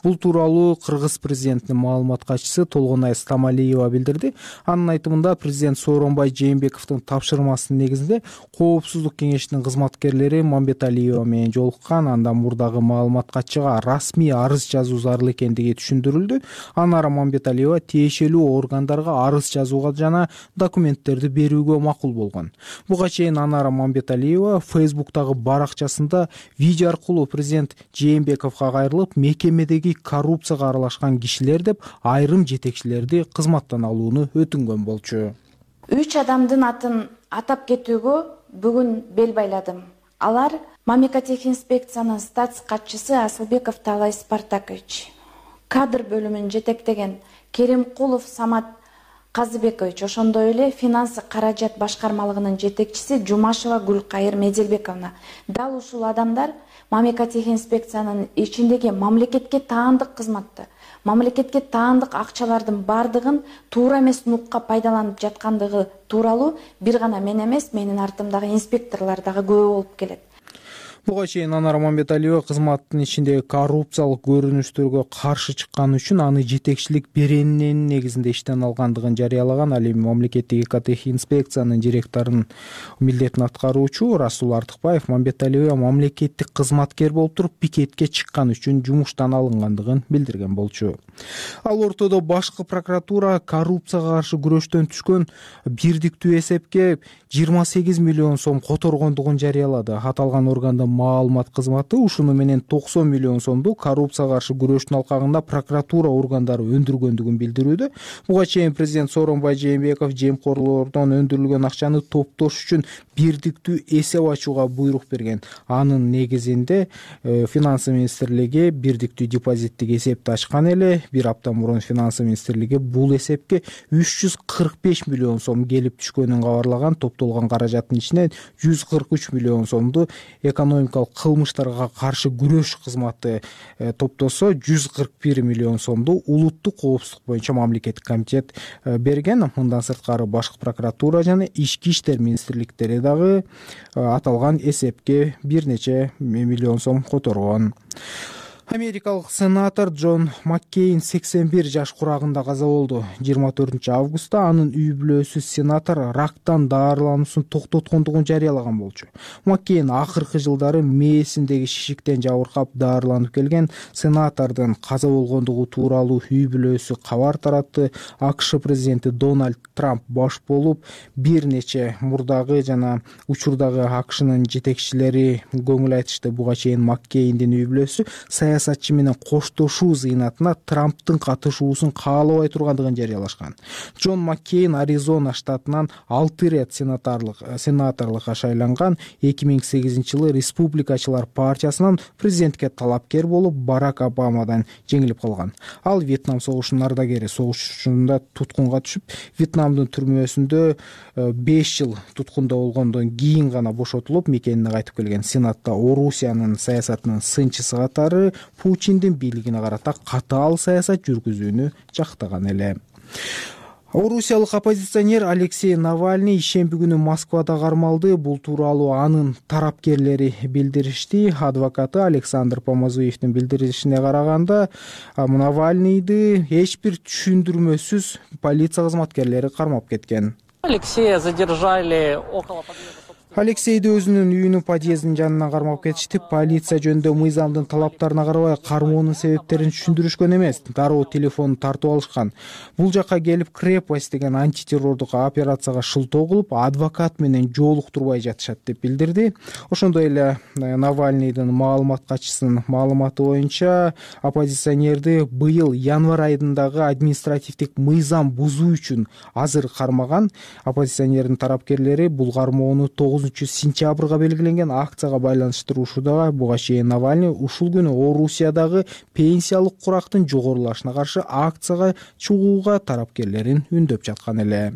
Бул тууралуу Кыргыз президентинин маалымат катчысы Толгонай Стамалиева билдирди. Анын айтымында президент Сооронбай Жээнбековдун тапшырмасынын негизинде коопсуздук кеңешинин кызматкерлери Мамбеталиева менен жолуккан. Анда мурдагы маалымат катчыга расмий арыз жазуу зарыл экендиги түшүндүрүлдү. Анара Мамбеталиева тиешелүү органдарга арыз жазууга жана документтерди берүүгө макул болгон. Буга чейин Анара Мамбеталиева Фейсбуктагы баракчасында видео аркылуу президент Жээнбековго кайрылып, мекемедеги коррупцияга аралашкан кишилер деп айрым жетекчилерди кызматтан алууну өтүнгөн болчу. Үч адамдын атын атап кетүүгө бүгүн бел байладым. Алар Мамлекеттик статс катчысы Асылбеков Талай Спартакович, кадр бөлүмүн жетектеген Керимкулов Самат Казыбекович, ошондой эле финансы каражат башкармалыгынын жетекчиси Жумашева Гүлкайыр Меделбековна. Дал ушул адамдар мамлекеттик инспекциянын ичиндеги мамлекетке таандык кызматты, мамлекетке таандык акчалардын бардыгын туура эмес нукка пайдаланып жаткандыгы тууралуу бир гана мен эмес, менин артымдагы инспекторлор дагы күбө болуп келет. Буга чейин Анара Мамбеталиева кызматтын ичиндеги коррупциялык көрүнүштөргө каршы чыкканы үчүн аны жетекчилик беренинин негизинде иштен алгандыгын жарыялаган. Ал эми мамлекеттик экотех инспекциянын директорунун милдетин аткаруучу Расул Артыкбаев Мамбеталиева мамлекеттик кызматкер болуп туруп пикетке чыккан үчүн жумуштан алынгандыгын билдирген болчу. Ал ортодо башкы прокуратура коррупцияга каршы күрөштөн түшкөн бирдиктүү эсепке жыйырма сегиз миллион сом которгондугун жарыялады. Аталган органдын маалымат кызматы ушуну менен токсон миллион сомду коррупцияга каршы күрөштүн алкагында прокуратура органдары өндүргөндүгүн билдирүүдө. Буга чейин президент Сооронбай Жээнбеков жемкорлордон өндүрүлгөн акчаны топтош үчүн бирдиктүү эсеп ачууга буйрук берген. Анын негизинде э, финансы министрлиги бирдиктүү депозиттик эсепти ачкан эле. Бир апта мурун финансы министрлиги бул эсепке үч жүз кырк беш миллион сом келип түшкөнүн кабарлаган. Топтолгон каражаттын ичинен жүз кырк үч миллион сомду экономикалык кылмыштарга каршы күрөш кызматы э, топтосо, жүз кырк бир миллион сомду улуттук коопсуздук боюнча мамлекеттик комитет э, берген. Мындан сырткары башкы прокуратура жана ички иштер министрликтери дагы э, аталган эсепке бир нече миллион сом которгон. Америкалык сенатор Джон Маккейн сексен бир жаш курагында каза болду. жыйырма төртүнчү августта анын үй бүлөсү сенатор рактан даарылануусун токтоткондугун жарыялаган болчу. Маккейн акыркы жылдары мээсиндеги шишиктен жабыркап даарыланып келген. Сенатордун каза болгондугу тууралуу үй бүлөсү кабар таратты. АКШ президенти Дональд Трамп баш болуп, бир нече мурдагы жана учурдагы АКШнын жетекчилери көңүл айтышты. Буга чейин Маккейндин үй бүлөсү саясатчы менен коштошуу зыйнатына Трамптын катышуусун каалабай тургандыгын жарыялашкан. Джон Маккейн Аризона штатынан алты ирет сенаторлук сенаторлукка шайланган. эки миң сегизинчи жылы Республикачылар партиясынан президентке талапкер болуп Барак Обамадан жеңилип калган. Ал Вьетнам согушунун ардагери, согушунда туткунга түшүп, Вьетнамдын түрмөсүндө беш жыл туткунда болгондон кийин гана бошотулуп, мекенине кайтып келген. Сенатта Орусиянын саясатынын сынчысы катары Путиндин бийлигине карата катаал саясат жүргүзүүнү жактаган эле. Орусиялык оппозиционер Алексей Навальный ишемби күнү Москвада кармалды. Бул тууралуу анын тарапкерлери билдиришти. Адвокаты Александр Помазуевдин билдиришине караганда, Навальныйды эч бир түшүндүрмөсүз полиция кызматкерлери кармап кеткен. Алексея задержали около Алексейди өзүнүн үйүнүн подъездинин жанынан кармап кетишти. Полиция жөнүндө мыйзамдын талаптарына карабай кармоонун себептерин түшүндүрүшкөн эмес. Дароо телефонун тартып алышкан. Бул жакка келип крепость деген антитеррордук операцияга шылтоо кылып, адвокат менен жолуктурбай жатышат деп билдирди. Ошондой эле Навальныйдын маалымат катчысынын маалыматы боюнча, оппозиционерди быйыл январь айындагы административдик мыйзам бузуу үчүн азыр кармаган. Оппозиционердин тарапкерлери бул кармоону тогузунчу сентябрга белгиленген акцияга байланыштыруушуда. Буга чейин Навальный ушул күнү Орусиядагы пенсиялык курактын жогорулашына каршы акцияга чыгууга тарапкерлерин үндөп жаткан эле.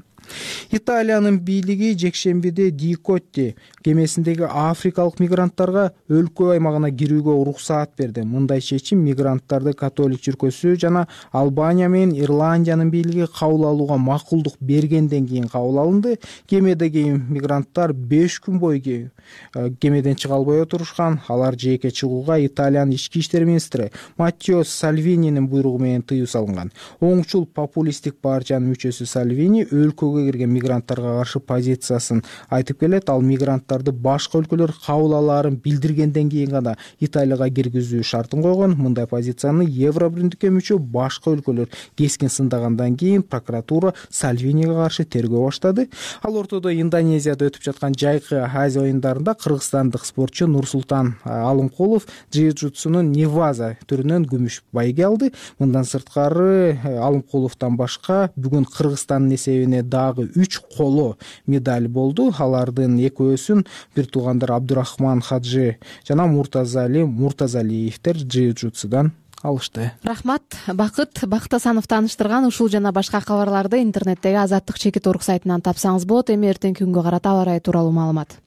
Италиянын бийлиги жекшембиде Дикотти кемесиндеги африкалык мигранттарга өлкө аймагына кирүүгө уруксаат берди. Мындай чечим мигранттарды католик чиркөөсү жана Албания менен Ирландиянын бийлиги кабыл алууга макулдук бергенден кийин кабыл алынды. Кемедеги мигранттар беш күн бою кемеден чыга албай отурушкан. Алар жээкке чыгууга Италиянын ички иштер министри Маттео Сальвининин буйругу менен тыюу салынган. Оңчул популисттик партиянын мүчөсү Сальвини өлкөгө кирген мигранттарга каршы позициясын айтып келет. Ал мигранттарды башка өлкөлөр кабыл алаарын билдиргенден кийин гана Италияга киргизүү шартын койгон. Мындай позицияны Евробиримдикке мүчө башка өлкөлөр кескин сындагандан кийин прокуратура Сальвиниге каршы тергөө баштады. Ал ортодо Индонезияда өтүп жаткан жайкы Азия оюндарында кыргызстандык спортчу Нурсултан Алымкулов джиу-джитсунун Неваза түрүнөн күмүш байге алды. Мындан сырткары Алымкуловдон башка бүгүн Кыргызстандын эсебине дагы үч коло медаль болду. Алардын экөөсүн бир туугандар Абдурахман Хаджи жана Муртазали Муртазалиевдер джиу-джитсудан алышты. Рахмат, Бакыт Бактасанов тааныштырган. Ушул жана башка кабарларды интернеттеги Азаттык чекит орг сайтынан тапсаңыз болот. Эми эртеңки күнгө карата аба ырайы тууралуу маалымат.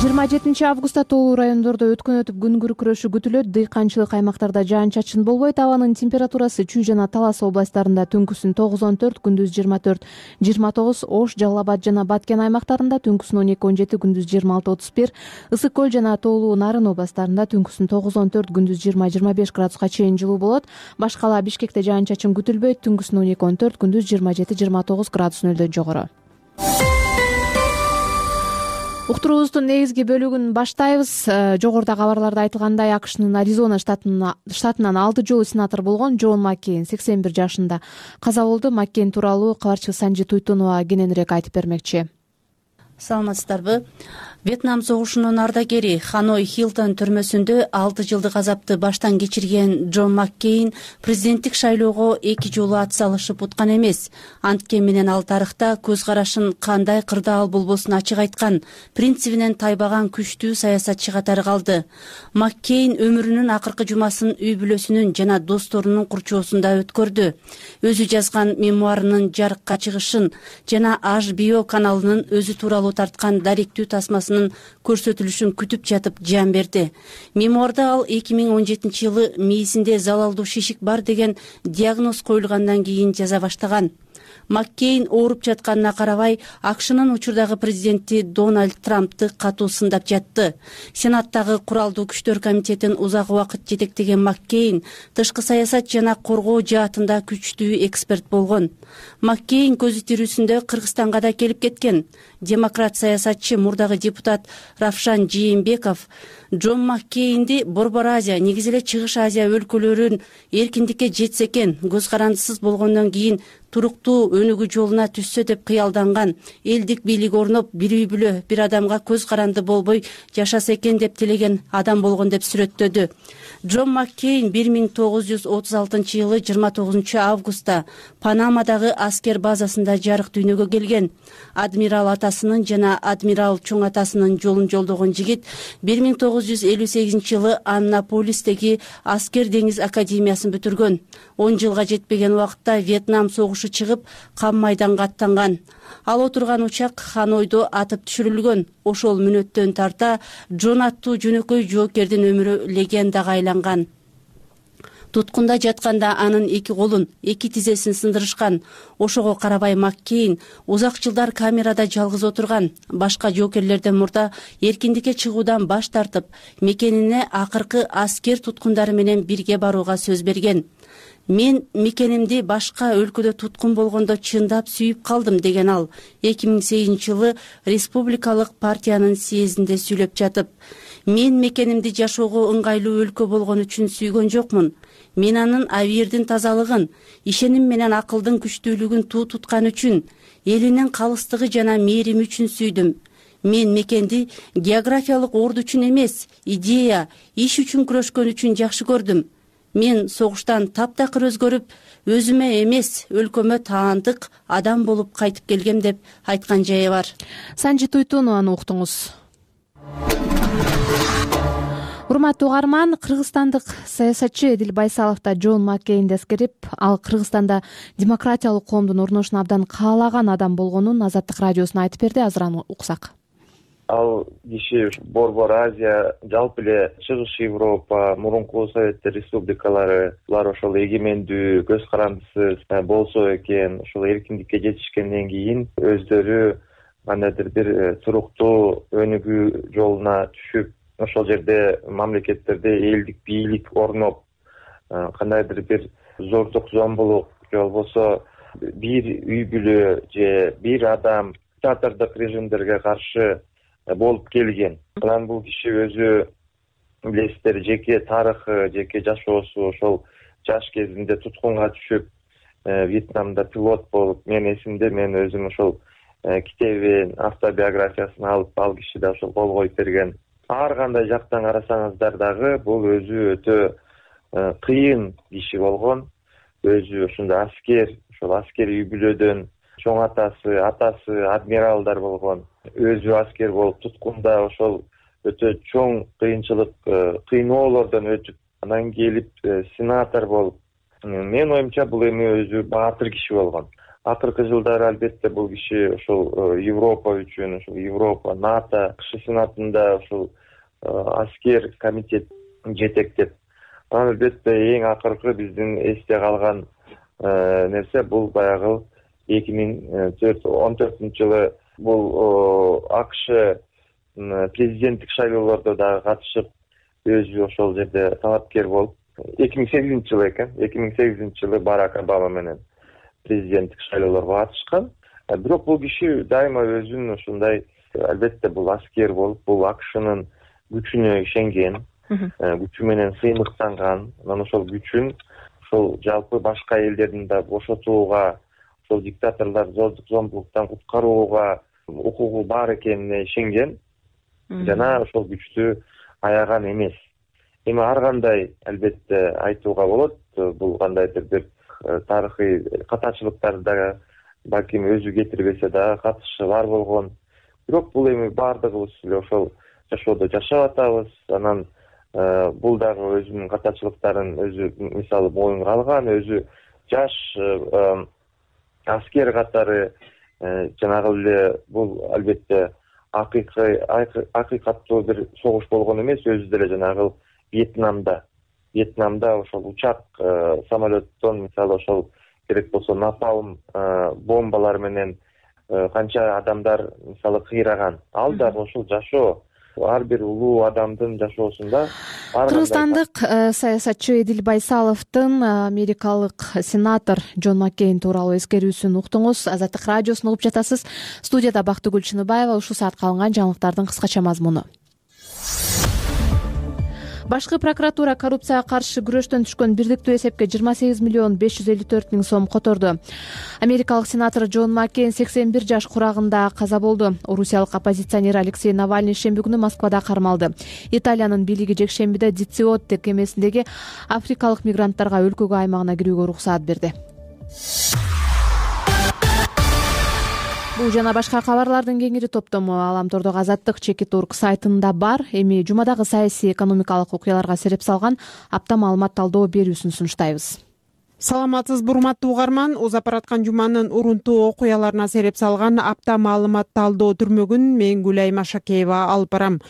жыйырма жетинчи августта тоолуу райондордо өткөн өтүп күн күркүрөшү күтүлөт. Дыйканчылык аймактарда жаан-чачын болбойт. Абанын температурасы Чүй жана Талас областарында түнкүсүн тогуз он төрт, күндүз жыйырма төрт жыйырма тогуз, Ош, Жалал Абад жана Баткен аймактарында түнкүсүн он эки он жети, күндүз жыйырма алты отуз бир, Ысык көл жана Тоолуу Нарын областарында түнкүсүн тогуз он төрт, күндүз жыйырма жыйырма беш градуска чейин жылуу болот. Башкала Бишкекте жаан-чачын күтүлбөйт. Түнкүсүн он эки он төрт, күндүз жыйырма жети жыйырма тогуз градус нөлдөн жогору. Уктуруубуздун негизги бөлүгүн баштайбыз. Жогоруда кабарларда айтылгандай, АКШнын Аризона штатынан алты жолу сенатор болгон Джон Маккейн сексен бир жашында каза болду. Маккейн тууралуу кабарчы Санжи Туйтунова кененирээк айтып бермекчи. Саламатсыздарбы? Вьетнам согушунун ардагери Ханой Хилтон түрмөсүндө алты жылдык азапты баштан кечирген Джон Маккейн президенттик шайлоого эки жолу ат салышып уткан эмес. Анткени менен ал тарыхта көз карашын кандай кырдаал болбосун ачык айткан, принцибинен тайбаган күчтүү саясатчы катары калды. Маккейн өмүрүнүн акыркы жумасын үй бүлөсүнүн жана досторунун курчоосунда өткөрдү. Өзү жазган мемуарынын жарыкка чыгышын жана H B O каналынын өзү тууралуу тарткан даректүү тасмасын көрсөтүлүшүн күтүп жатып жан берди. Мемуарда ал эки миң он жетинчи жылы мээсинде залалдуу шишик бар деген диагноз коюлгандан кийин жаза баштаган. Маккейн ооруп жатканына карабай, АКШнын учурдагы президенти Дональд Трампты катуу сындап жатты. Сенаттагы куралдуу күчтөр комитетин узак убакыт жетектеген Маккейн тышкы саясат жана коргоо жаатында күчтүү эксперт болгон. Маккейн көзү тирүүсүндө Кыргызстанга да келип кеткен. Демократ саясатчы мурдагы депутат Равшан Жээнбеков Джон Маккейнди Борбор Азия, негизи эле Чыгыш Азия өлкөлөрүн эркиндикке жетсе экен, көз карандысыз болгондон кийин туруктуу өнүгүү жолуна түшсө деп кыялданган. Элдик бийлик орноп, бир үй бүлө, бир адамга көз каранды болбой жашаса экен деп тилеген адам болгон деп сүрөттөдү. Джон Маккейн бир миң тогуз жүз отуз алтынчы жылы жыйырма тогузунчу августта Панамадагы аскер базасында жарык дүйнөгө келген. Адмирал атасынын жана адмирал чоң атасынын жолун жолдогон жигит бир миң тогуз жүз элүү сегизинчи жылы Аннаполистеги аскер деңиз академиясын бүтүргөн. он жылга жетпеген убакытта Вьетнам согушу чыгып, кам майданга аттанган. Ал отурган учак Ханойдо атып түшүрүлгөн. Ошол мүнөттөн тарта Джон аттуу жөнөкөй жоокердин өмүрү легендага айланган. Туткунда жатканда анын эки колун, эки тизесин сындырышкан. Ошого карабай Маккейн узак жылдар камерада жалгыз отурган. Башка жоокерлерден мурда эркиндикке чыгуудан баш тартып, мекенине акыркы аскер туткундары менен бирге барууга сөз берген. Мен мекенимди башка өлкөдө туткун болгондо чындап сүйүп калдым деген ал эки миң сегизинчи жылы Республикалык партиянын съездинде сүйлөп жатып, мен мекенимди жашоого ыңгайлуу өлкө болгон үчүн сүйгөн жокмун. Мен анын абийирдин тазалыгын, ишеним менен акылдын күчтүүлүгүн туу туткан үчүн, элинин калыстыгы жана мээрими үчүн сүйдүм. Мен мекенди географиялык орду үчүн эмес, идея, иш үчүн күрөшкөн үчүн жакшы көрдүм. Мен согуштан таптакыр өзгөрүп, өзүмө эмес, өлкөмө таандык адам болуп кайтып келгем деп айткан жайы бар. Санжи Туйтунованы уктуңуз. Урматтуу угарман, кыргызстандык саясатчы Эдил Байсалов да Джон Маккейнди эскерип, ал Кыргызстанда демократиялык коомдун орношун абдан каалаган адам болгонун Азаттык радиосуна айтып берди. Азыр аны уксак. Ал киши Борбор Азия, жалпы эле Чыгыш Европа, мурунку Советтер республикалары, булар ошол эгемендүү, көз карандысыз болсо экен, ошол эркиндикке жетишкенден кийин өздөрү кандайдыр бир туруктуу өнүгүү жолуна түшүп, ошол жерде мамлекеттерде элдик бийлик орноп, кандайдыр бир зордук зомбулук же болбосо бир үй бүлө же бир адам диктатордук режимдерге каршы болуп келген. Анан бул киши өзү билесиздер, жеке тарыхы, жеке жашоосу ошол жаш кезинде туткунга түшүп, Вьетнамда пилот болуп, мен эсимде, мен өзүм ошол китебин, автобиографиясын алып, ал киши да ошол кол коюп берген. Ар кандай жактан карасаңыздар дагы бул өзү өтө кыйын киши болгон. Өзү ушундай аскер, ошол аскери үй бүлөдөн чоң атасы, атасы адмиралдар болгон. Өзү аскер болуп туткунда ошол өтө чоң кыйынчылык, кыйноолордон өтүп, анан келип сенатор болуп. Мен оюмча бул эми өзү баатыр киши болгон. Акыркы жылдары албетте бул киши ошол Европа үчүн, ошол Европа, НАТО кышкы сенатында ошол аскер комитет жетектеп. Анан албетте эң акыркы биздин эсте калган нерсе бул баягы эки миң он төртүнчү жылы бул АКШ президенттик шайлоолордо дагы катышып, өзү ошол жерде талапкер болуп, эки миң сегизинчи жылы экен, эки миң сегизинчи жылы Барак Обама менен президенттик шайлоолорго катышкан. Бирок бул киши дайыма өзүн ушундай, албетте бул аскер болуп, бул АКШнын күчүнө ишенген, күчү менен сыймыктанган. Анан ошол күчүн ошол жалпы башка элдердин да бошотууга, ошол диктаторлор зордук зомбулуктан куткарууга укугу бар экенине ишенген жана ошол күчтү аяган эмес. Эми ар кандай албетте айтууга болот, бул кандайдыр бир тарыхый катачылыктарды да балким өзү кетирбесе дагы катышы бар болгон. Бирок бул эми баардыгыбыз эле ошол жашоодо жашап атабыз. Анан бул дагы өзүнүн катачылыктарын өзү мисалы моюнга алган, өзү жаш аскер катары жанагы эле бул албетте акыйкый акыйкаттуу бир согуш болгон эмес, өзү деле жанагы Вьетнамда Вьетнамда ошол учак, самолеттон мисалы ошол керек болсо напалм бомбалар менен канча адамдар мисалы кыйраган. Ал дагы ошол жашоо, ар бир улуу адамдын жашоосунда. Кыргызстандык саясатчы Эдил Байсаловдун америкалык сенатор Джон Маккейн тууралуу эскерүүсүн уктуңуз. Азаттык радиосун угуп жатасыз. Студияда Бактыгүл Чыныбаева. Ушул саатка алынган жаңылыктардын кыскача мазмуну. Башкы прокуратура коррупцияга каршы күрөштөн түшкөн бирдиктүү эсепке жыйырма сегиз миллион беш жүз элүү төрт миң сом которду. Америкалык сенатор Джон Маккейн сексен бир жаш курагында каза болду. Орусиялык оппозиционер Алексей Навальный шемби күнү Москвада кармалды. Италиянын бийлиги жекшембиде Дициотте кемесиндеги африкалык мигранттарга өлкөгө аймагына кирүүгө уруксаат берди. Бул жана башка кабарлардын кеңири топтому Аламтордогу Азаттык Чекит Орг сайтында бар. Эми жумадагы саясий экономикалык окуяларга сереп салган апта маалымат талдоо берүүсүн сунуштайбыз. Саламатсызбы урматтуу угарман, узап бараткан жуманын урунтуу окуяларына сереп салган апта маалымат талдоо түрмөгүн мен Гүлай Машакеева алып барам.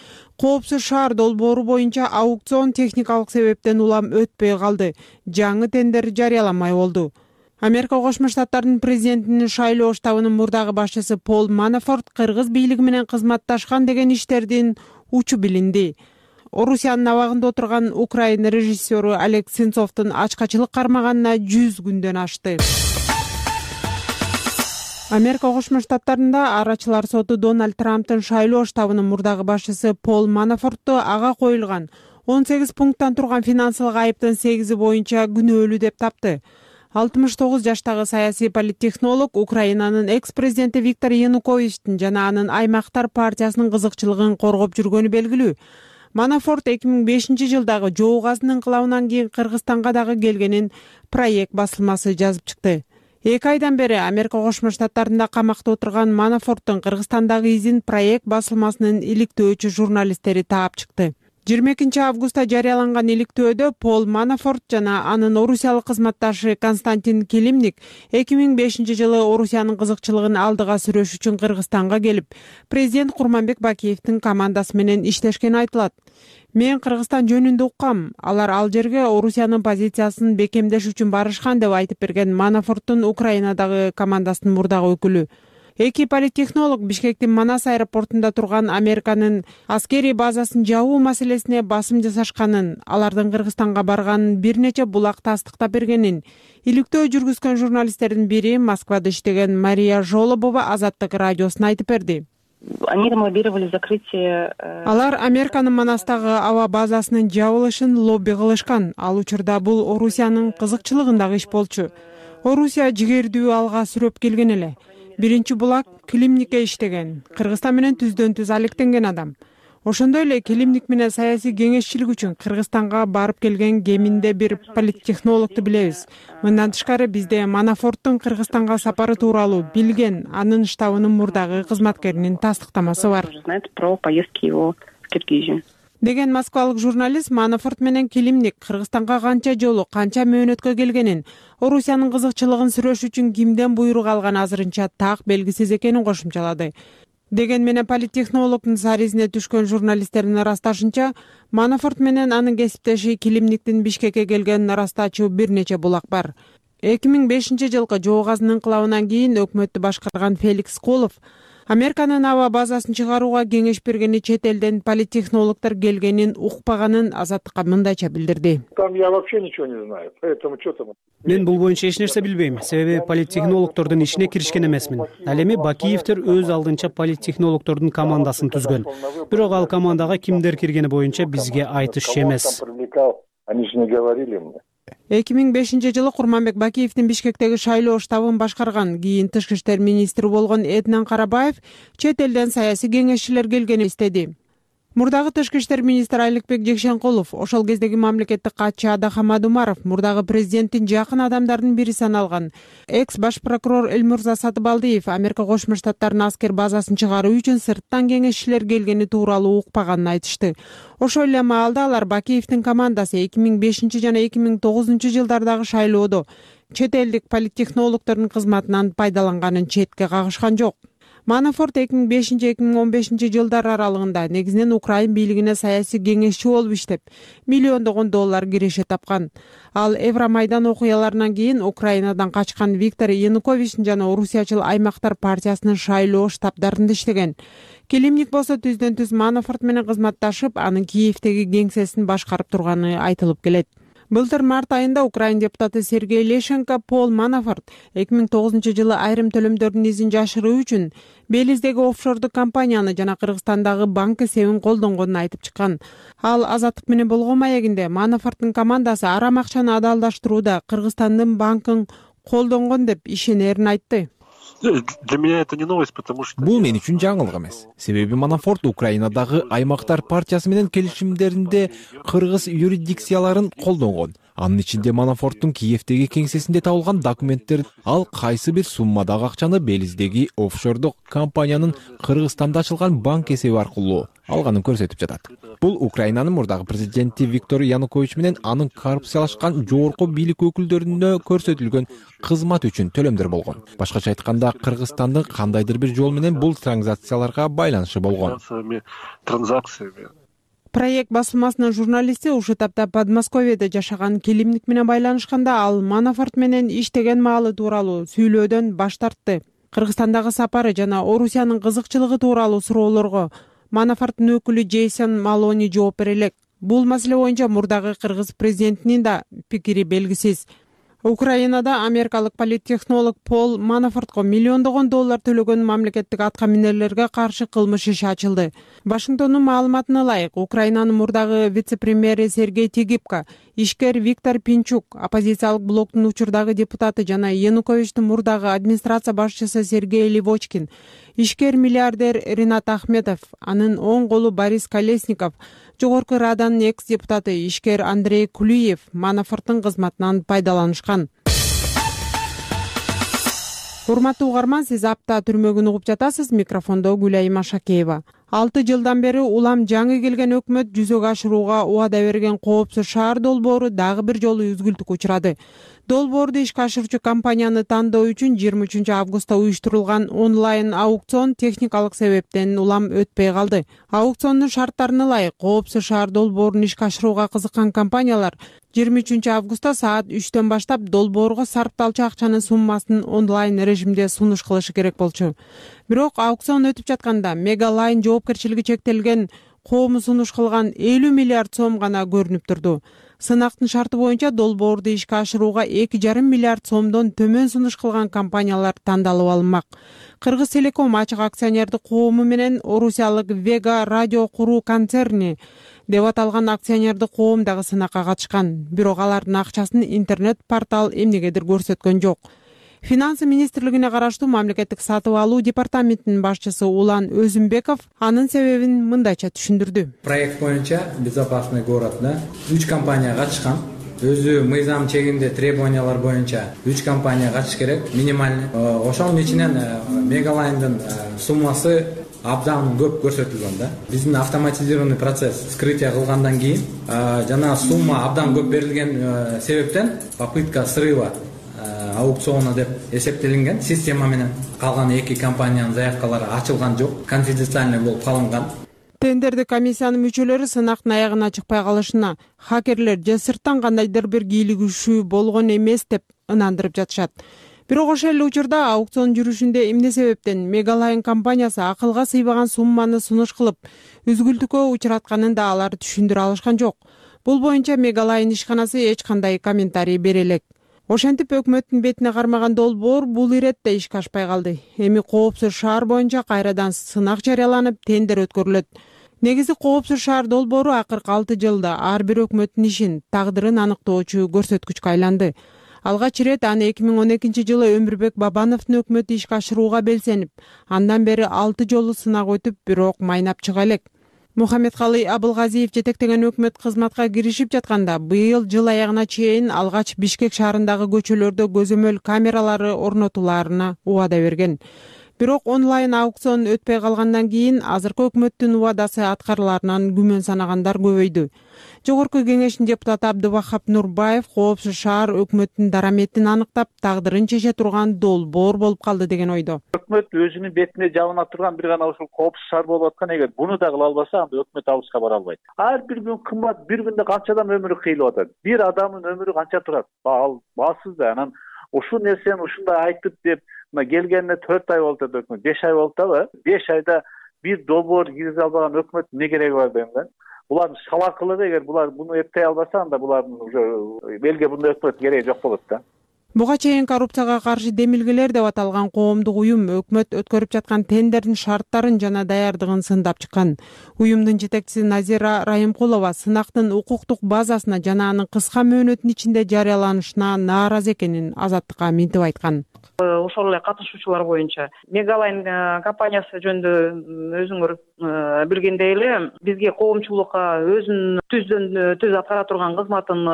Коопсуз шаар долбоору боюнча аукцион техникалык себептен улам өтпөй калды. Жаңы тендер жарыяламай болду. Америка Кошмо Штаттарынын президентинин шайлоо штабынын мурдагы башчысы Пол Манафорт кыргыз бийлиги менен кызматташкан деген иштердин учу билинди. Орусиянын абагында отурган Украина режиссеру Олег Сенцовдун ачкачылык кармаганына жүз күндөн ашты. Америка Кошмо Штаттарында арачылар соту Дональд Трамптын шайлоо штабынын мурдагы башчысы Пол Манафортту ага коюлган он сегиз пункттан турган финансылык айыптын сегизи боюнча күнөөлүү деп тапты. алтымыш тогуз жаштагы саясий политтехнолог Украинанын экс-президенти Виктор Януковичтин жана анын аймактар партиясынын кызыкчылыгын коргоп жүргөнү белгилүү. Манафорт эки миң бешинчи жылдагы жоо газынын кылабынан кийин Кыргызстанга дагы келгенин проект басылмасы жазып чыкты. Эки айдан бери Америка Кошмо Штаттарында камакта отурган Манафорттун Кыргызстандагы изин проект басылмасынын иликтөөчү журналисттери таап чыкты. жыйырма экинчи августта жарыяланган иликтөөдө Пол Манафорт жана анын орусиялык кызматташы Константин Килимник эки миң бешинчи жылы Орусиянын кызыкчылыгын алдыга сүрөш үчүн Кыргызстанга келип, президент Курманбек Бакиевдин командасы менен иштешкени айтылат. Мен Кыргызстан жөнүндө уккам, алар ал жерге Орусиянын позициясын бекемдеш үчүн барышкан деп айтып берген Манафорттун Украинадагы командасынын мурдагы өкүлү. Эки политтехнолог Бишкектин Манас аэропортунда турган Американын аскерий базасын жабуу маселесине басым жасашканын, алардын Кыргызстанга барганын бир нече булак тастыктап бергенин иликтөө жүргүзгөн журналисттердин бири Москвада иштеген Мария Жолобова Азаттык радиосуна айтып берди. Алар Американын Манастагы аба базасынын жабылышын лобби кылышкан. Ал учурда бул Орусиянын кызыкчылыгындагы иш болчу. Орусия жигердүү алга сүрөп келген эле. Биринчи булак Килимникке иштеген. Кыргызстан менен түздөн түз алектенген адам. Ошондой эле Килимник менен саясий кеңешчилик үчүн Кыргызстанга барып келген кеминде бир политтехнологду билебиз. Мындан тышкары бизде Манафорттун Кыргызстанга сапары тууралуу билген анын штабынын мурдагы кызматкеринин тастыктамасы бар. Деген москвалык журналист Манафорт менен Килимник Кыргызстанга канча жолу, канча мөөнөткө келгенин, Орусиянын кызыкчылыгын сүрөш үчүн кимден буйрук алган азырынча так белгисиз экенин кошумчалады. Деген менен политтехнологдун саризине түшкөн журналисттердин ырасташынча, Манафорт менен анын кесиптеши Килимниктин Бишкекке келгенин ырастаачу бир нече булак бар. эки миң бешинчи жылкы жоо газынын инкылабынан кийин өкмөттү башкарган Феликс Колов Американын аба базасын чыгарууга кеңеш бергени чет элден политтехнологдор келгенин укпаганын Азаттыкка мындайча билдирди. Там я вообще ничего не знаю, поэтому что там. Мен бул боюнча эч нерсе билбейм, себеби политтехнологдордун ишине киришкен эмесмин. Ал эми Бакиевдер өз алдынча политтехнологдордун командасын түзгөн. Бирок ал командага кимдер киргени боюнча бизге айтышчу эмес. Они же не говорили мне. эки миң бешинчи жылы Курманбек Бакиевдин Бишкектеги шайлоо штабын башкарган, кийин тышкы иштер министри болгон Эднан Карабаев чет элден саясий кеңешчилер келгенин истеди. Мурдагы тышкы иштер министри Аликбек Жекшенкулов, ошол кездеги мамлекеттик катчы Адахамад Умаров, мурдагы президенттин жакын адамдарынын бири саналган экс баш прокурор Элмурза Сатыбалдиев Америка Кошмо Штаттарынын аскер базасын чыгаруу үчүн сырттан кеңешчилер келгени тууралуу укпаганын айтышты. Ошол эле маалда алар Бакиевдин командасы эки миң бешинчи жана эки миң тогузунчу жылдардагы шайлоодо чет элдик политтехнологдордун кызматынан пайдаланганын четке кагышкан жок. Манафорт эки миң бешинчи эки миң он бешинчи жылдар аралыгында негизинен Украин бийлигине саясий кеңешчи болуп иштеп, миллиондогон доллар киреше тапкан. Ал Евромайдан окуяларынан кийин Украинадан качкан Виктор Януковичтин жана Орусиячыл аймактар партиясынын шайлоо штабдарында иштеген. Килимник болсо түздөн түз Манафорт менен кызматташып, анын Киевдеги кеңсесин башкарып турганы айтылып келет. Былтыр март айында Украин депутаты Сергей Лещенко Пол Манафорт эки миң тогузунчу жылы айрым төлөмдөрдүн изин жашыруу үчүн Белиздеги офшордук компанияны жана Кыргызстандагы банк эсебин колдонгонун айтып чыккан. Ал Азаттык менен болгон маегинде Манафорттун командасы арам акчаны адалдаштырууда Кыргызстандын банкын колдонгон деп ишенерин айтты. Для меня это не новость, потому что бул мен үчүн жаңылык эмес. Себеби Манафорт Украинадагы Аймактар партиясы менен келишимдеринде кыргыз юрисдикцияларын колдонгон. Анын ичинде Манафорттун Киевдеги кеңсесинде табылган документтер ал кайсы бир суммадагы акчаны Белиздеги офшордук компаниянын Кыргызстанда ачылган банк эсеби аркылуу алганын көрсөтүп жатат. Бул Украинанын мурдагы президенти Виктор Янукович менен анын коррупциялашкан жогорку бийлик өкүлдөрүнө көрсөтүлгөн кызмат үчүн төлөмдөр болгон. Башкача айтканда, Кыргызстандын кандайдыр бир жол менен бул транзакцияларга байланышы болгон. Транзакциями. Проект басылмасынын журналисти ушул тапта Подмосковьеде жашаган келимник менен байланышканда ал Манафорт менен иштеген маалы тууралуу сүйлөөдөн баш тартты. Кыргызстандагы сапары жана Орусиянын кызыкчылыгы тууралуу суроолорго Манафорттун өкүлү Джейсон Малони жооп бере элек. Бул маселе боюнча мурдагы кыргыз президентинин да пикири белгисиз. Украинада америкалык политтехнолог Пол Манафортко миллиондогон доллар төлөгөн мамлекеттик атка минерлерге каршы кылмыш иши ачылды. Вашингтондун маалыматына ылайык, Украинанын мурдагы вице-премьери Сергей Тигипко, ишкер Виктор Пинчук, оппозициялык блоктун учурдагы депутаты жана Януковичтин мурдагы администрация башчысы Сергей Левочкин, ишкер миллиардер Ринат Ахметов, анын оң колу Борис Колесников, Жогорку Раданын экс-депутаты ишкер Андрей Кулиев Манафорттун кызматынан пайдаланышкан. Урматтуу угарман, сиз апта түрмөгүн угуп жатасыз. Микрофондо Гүлайым Ашакеева. Алты жылдан бери улам жаңы келген өкмөт жүзөгө ашырууга убада берген коопсуз шаар долбоору дагы бир жолу үзгүлтүккө учурады. Долбоорду ишке ашыруучу компанияны тандоо үчүн жыйырма үчүнчү августта уюштурулган онлайн аукцион техникалык себептен улам өтпөй калды. Аукциондун шарттарына ылайык, коопсуз шаар долбоорун ишке ашырууга кызыккан компаниялар жыйырма үчүнчү августта саат үчтөн баштап долбоорго сарпталчу акчанын суммасын онлайн режимде сунуш кылышы керек болчу. Бирок аукцион өтүп жатканда Мегалайн жоопкерчилиги чектелген коому сунуш кылган элүү миллиард сом гана көрүнүп турду. Сынактын шарты боюнча долбоорду ишке ашырууга эки жарым миллиард сомдон төмөн сунуш кылган компаниялар тандалып алынмак. Кыргыз Телеком ачык акционердик коому менен Орусиялык Вега радио куруу концерни деп аталган акционердик коом дагы сынакка катышкан. Бирок алардын акчасын интернет-портал эмнегедир көрсөткөн жок. Финансы министрлигине караштуу мамлекеттик сатып алуу департаментинин башчысы Улан Өзүмбеков анын себебин мындайча түшүндүрдү. Проект боюнча Безопасный городда үч компания катышкан. Өзү мыйзам чегинде требованиялар боюнча үч компания катыш керек, минимальный. Ошонун ичинен Мегалайндын суммасы абдан көп көрсөтүлгөн да. Биздин автоматизированный процесс вскрытие кылгандан кийин жана сумма абдан көп берилген себептен попытка срыва аукциона деп эсептелинген система менен калган эки компаниянын заявкалары ачылган жок, конфиденциальный болуп калынган. Тендердик комиссиянын мүчөлөрү сынактын аягына чыкпай калышына хакерлер же сырттан кандайдыр бир кийлигишүү болгон эмес деп ынандырып жатышат. Бирок ошол эле учурда аукцион жүрүшүндө эмне себептен Мегалайн компаниясы акылга сыйбаган сумманы сунуш кылып үзгүлтүккө учуратканын да алар түшүндүрө алышкан жок. Бул боюнча Мегалайн ишканасы эч кандай комментарий бере элек. Ошентип өкмөттүн бетине кармаган долбоор бул иретте ишке ашпай калды. Эми коопсуз шаар боюнча кайрадан сынак жарыяланып, тендер өткөрүлөт. Негизи коопсуз шаар долбоору акыркы алты жылда ар бир өкмөттүн ишин, тагдырын аныктоочу көрсөткүчкө айланды. Алгач ирет аны эки миң он экинчи жылы Өмүрбек Бабановдун өкмөтү ишке ашырууга белсенип, андан бери алты жолу сынак өтүп, бирок майнап чыга элек. Мухаммедкалый Абылгазиев жетектеген өкмөт кызматка киришип жатканда быйыл жыл аягына чейин алгач Бишкек шаарындагы көчөлөрдө көзөмөл камералары орнотулаарына убада берген. Бирок онлайн аукцион өтпөй калгандан кийин азыркы өкмөттүн убадасы аткарыларынан күмөн санагандар көбөйдү. Жогорку кеңештин депутаты Абдывахап Нурбаев коопсуз шаар өкмөттүн дараметин аныктап, тагдырын чече турган долбоор болуп калды деген ойдо. Өкмөт өзүнүн бетине жабына турган бир гана ушул коопсуз шаар болуп аткан, эгер буну да кыла албаса, анда өкмөт алыска бара албайт. Ар бир күн кымбат, бир күндө канча адам өмүрү кыйылып атат. Бир адамдын өмүрү канча турат? Ал баасыз да. Анан ушул нерсени ушундай айтып деп келгенине төрт ай болуп атат өкмөт, беш ай болуп атабы? беш айда бир долбоор киргизе албаган өкмөт эмне кереги бар дейм да. булардын салакылыгы, эгер булар буну эптей албаса, анда булардын уже элге мындай өкмөт кереги жок болот да. Буга чейин коррупцияга каршы демилгелер деп аталган коомдук уюм өкмөт өткөрүп жаткан тендердин шарттарын жана даярдыгын сындап чыккан. Уюмдун жетекчиси Назира Райымкулова сынактын укуктук базасына жана анын кыска мөөнөттүн ичинде жарыяланышына нааразы экенин Азаттыкка минтип айткан. Ошол эле катышуучулар боюнча Мегалайн компаниясы жөнүндө өзүңөр билгендей эле бизге коомчулукка өзүнүн түздөн түз аткара турган кызматын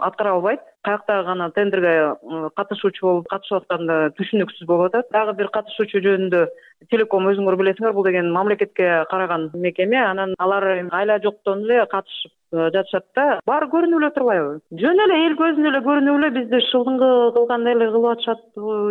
аткара албайт. Каяктагы гана тендерге катышуучу болуп катышып атканда түшүнүксүз болуп атат. Дагы бир катышуучу жөнүндө Телеком өзүңөр билесиңер, бул деген мамлекетке караган мекеме, анан алар айла жоктон эле катышып жатышат да. Баары көрүнүп эле турбайбы? Жөн эле эл көзүнө эле көрүнүп эле бизди шылдыңгы кылгандай эле кылып атышат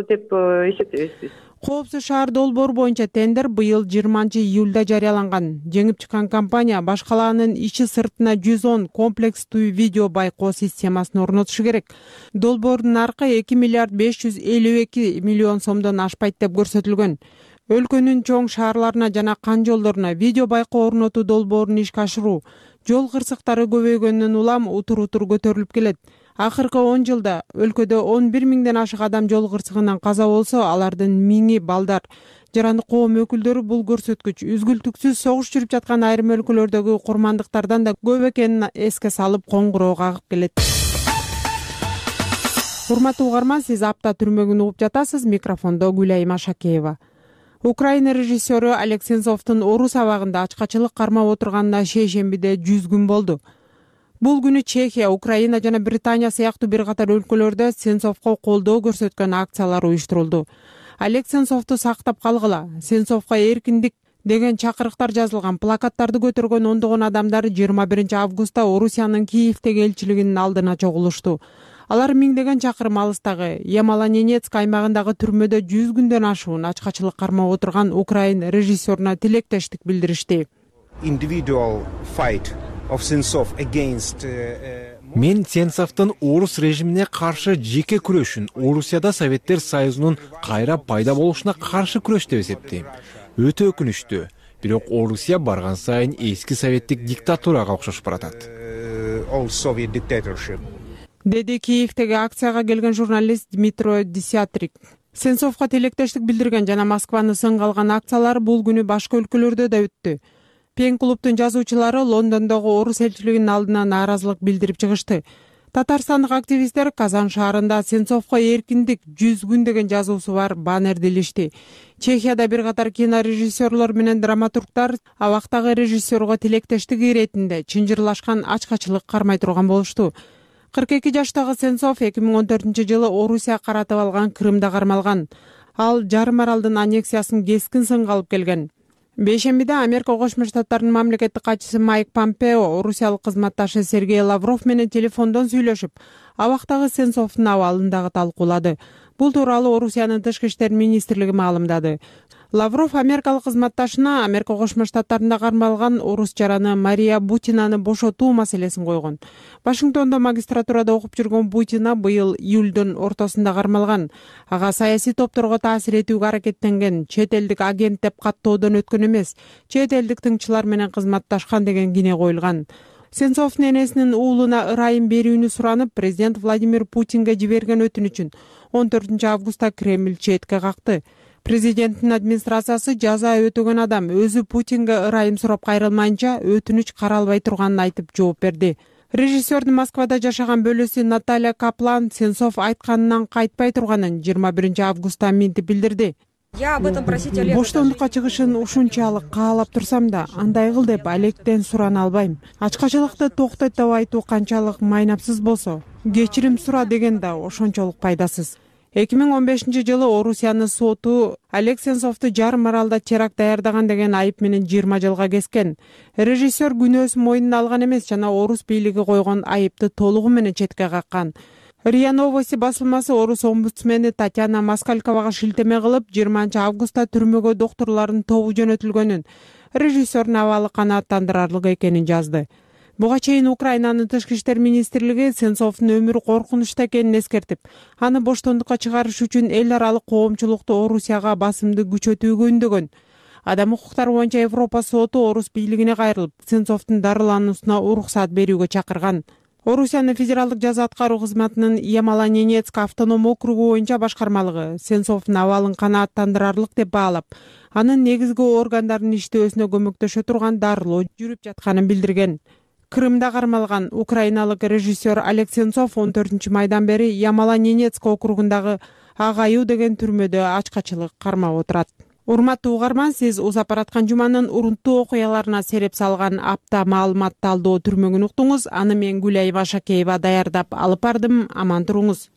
деп эсептейбиз биз. Коопсуз шаар долбоору боюнча тендер быйыл жыйырманчы июлда жарыяланган. Жеңип чыккан компания башкалаанын ичи сыртына жүз он комплекстүү видео байкоо системасын орнотушу керек. Долбоордун наркы эки миллиард беш жүз элүү эки миллион сомдон ашпайт деп көрсөтүлгөн. Өлкөнүн чоң шаарларына жана кан жолдоруна видео байкоо орнотуу долбоорун ишке ашыруу жол кырсыктары көбөйгөндөн улам утур-утур көтөрүлүп келет. Акыркы он жылда өлкөдө он бир миңден ашык адам жол кырсыгынан каза болсо, алардын миңи балдар. Жарандык коом өкүлдөрү бул көрсөткүч үзгүлтүксүз согуш жүрүп жаткан айрым өлкөлөрдөгү курмандыктардан да көп экенин эске салып коңгуроо кагып келет. Урматтуу угарман, сиз апта түрмөгүн угуп жатасыз. Микрофондо Гүлайым Ашакеева. Украина режиссеру Олег Сенцовдун Орус абагында ачкачылык кармап отурганына шейшембиде жүз күн болду. Бул күнү Чехия, Украина жана Британия сыяктуу бир катар өлкөлөрдө Сенцовго колдоо көрсөткөн акциялар уюштурулду. Олег Сенцовду сактап калгыла, Сенцовго эркиндик деген чакырыктар жазылган плакаттарды көтөргөн ондогон адамдар жыйырма биринчи августта Орусиянын Киевдеги элчилигинин алдына чогулушту. Алар миңдеген чакырым алыстагы Ямало-Ненецк аймагындагы түрмөдө жүз күндөн ашуун ачкачылык кармап отурган украин режиссеруна тилектештик билдиришти. Мен Сенцовдун орус режимине каршы жеке күрөшүн Орусияда Советтер Союзунун кайра пайда болушуна каршы күрөш деп эсептейм. Өтө өкүнүчтүү, бирок Орусия барган сайын эски советтик диктатурага окшошуп баратат. Деди Киевдеги акцияга келген журналист Дмитро Десятрик. Сенцовго тилектештик билдирген жана Москваны сынга алган акциялар бул күнү башка өлкөлөрдө да өттү. Пен клубдун жазуучулары Лондондогу орус элчилигинин алдына нааразылык билдирип чыгышты. Татарстандык активисттер Казан шаарында Сенцовго эркиндик жүз күн деген жазуусу бар баннерди илишти. Чехияда бир катар кинорежиссерлор менен драматургдар абактагы режиссерго тилектештик иретинде чынжырлашкан ачкачылык кармай турган болушту. кырк эки жаштагы Сенцов эки миң он төртүнчү жылы Орусия каратып алган Крымда кармалган. Ал жарым аралдын аннексиясын кескин сынга алып келген. Бейшембиде Америка Кошмо Штаттарынын мамлекеттик катчысы Майк Помпео орусиялык кызматташы Сергей Лавров менен телефондон сүйлөшүп, абактагы Сенцовдун абалын дагы талкуулады. Бул тууралуу Орусиянын тышкы иштер министрлиги маалымдады. Лавров америкалык кызматташына Америка Кошмо Штаттарында кармалган орус жараны Мария Бутинаны бошотуу маселесин койгон. Вашингтондо магистратурада окуп жүргөн Бутина быйыл июлдун ортосунда кармалган. Ага саясий топторго таасир этүүгө аракеттенген, чет элдик агент деп каттоодон өткөн эмес, чет элдик тыңчылар менен кызматташкан деген кине коюлган. Сенцовдун энесинин уулуна ырайым берүүнү суранып, президент Владимир Путинге жиберген өтүнүчүн он төртүнчү августта Кремль четке какты. Президенттин администрациясы жаза өтөгөн адам өзү Путинге ырайым сурап кайрылмайынча өтүнүч каралбай турганын айтып жооп берди. Режиссердун Москвада жашаган бөлөсү Наталья Каплан Сенцов айтканынан кайтпай турганын жыйырма биринчи августта минтип билдирди. Боштондукка чыгышын ушунчалык каалап турсам да, андай кыл деп Олегден сурана албайм. Ачкачылыкты токтойт деп айтуу канчалык майнапсыз болсо, кечирим сура деген да ошончолук пайдасыз. эки миң он бешинчи жылы Орусиянын соту Олег Сенцовду жарым аралда теракт даярдаган деген айып менен жыйырма жылга кескен. Режиссер күнөөсүн мойнуна алган эмес жана орус бийлиги койгон айыпты толугу менен четке каккан. РИА Новости басылмасы орус омбудсмени Татьяна Москальковага шилтеме кылып, жыйырманчы августта түрмөгө доктурлардын тобу жөнөтүлгөнүн, режиссердун абалы канааттандырарлык экенин жазды. Буга чейин Украинанын тышкы иштер министрлиги Сенцовдун өмүрү коркунучта экенин эскертип, аны боштондукка чыгарыш үчүн эл аралык коомчулукту Орусияга басымды күчөтүүгө үндөгөн. Адам укуктары боюнча Европа соту Орус бийлигине кайрылып, Сенцовдун дарылануусуна уруксат берүүгө чакырган. Орусиянын федералдык жаза аткаруу кызматынын Ямало-Ненецк автоном округу боюнча башкармалыгы Сенцовдун абалын канааттандырарлык деп баалап, анын негизги органдардын иштөөсүнө көмөктөшө турган дарылоо жүрүп жатканын билдирген. Крымда кармалган украиналык режиссер Олег Сенцов он төртүнчү майдан бери Ямало-Ненецк округундагы Ак Аюу деген түрмөдө ачкачылык кармап отурат. Урматтуу угарман, сиз узап бараткан жуманын урунттуу окуяларына сереп салган апта маалымат талдоо түрмөгүн уктуңуз. Аны мен Гүлай Башакеева даярдап алып бардым. Аман туруңуз.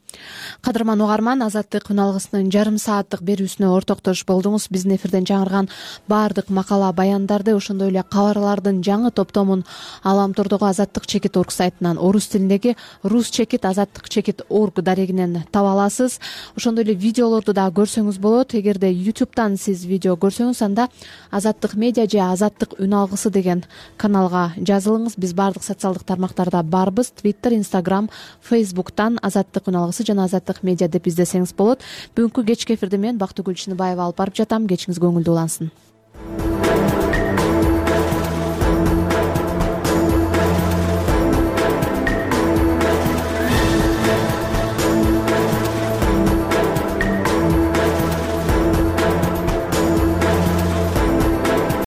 Кадырман угарман, Азаттык күн алгысынын жарым сааттык берүүсүнө ортоктош болдуңуз. Биздин эфирден жаңырган баардык макала баяндарды, ошондой эле кабарлардын жаңы топтомун Аламтордогу Азаттык чекит орг сайтынан, орус тилиндеги рус чекит азаттык чекит орг дарегинен таба аласыз. Ошондой эле видеолорду да көрсөңүз болот. Эгерде ютубтан сиз видео көрсөңүз, анда Азаттык медиа же Азаттык үн алгысы деген каналга жазылыңыз. Биз баардык социалдык тармактарда барбыз. Twitter, Instagram, Facebooktан Азаттык үн алгысы жана Азаттык медиа деп издесеңиз болот. Бүгүнкү кечки эфирди мен Бактыгүл Чыныбаева алып барып жатам. Кечиңиз көңүлдүү улансын.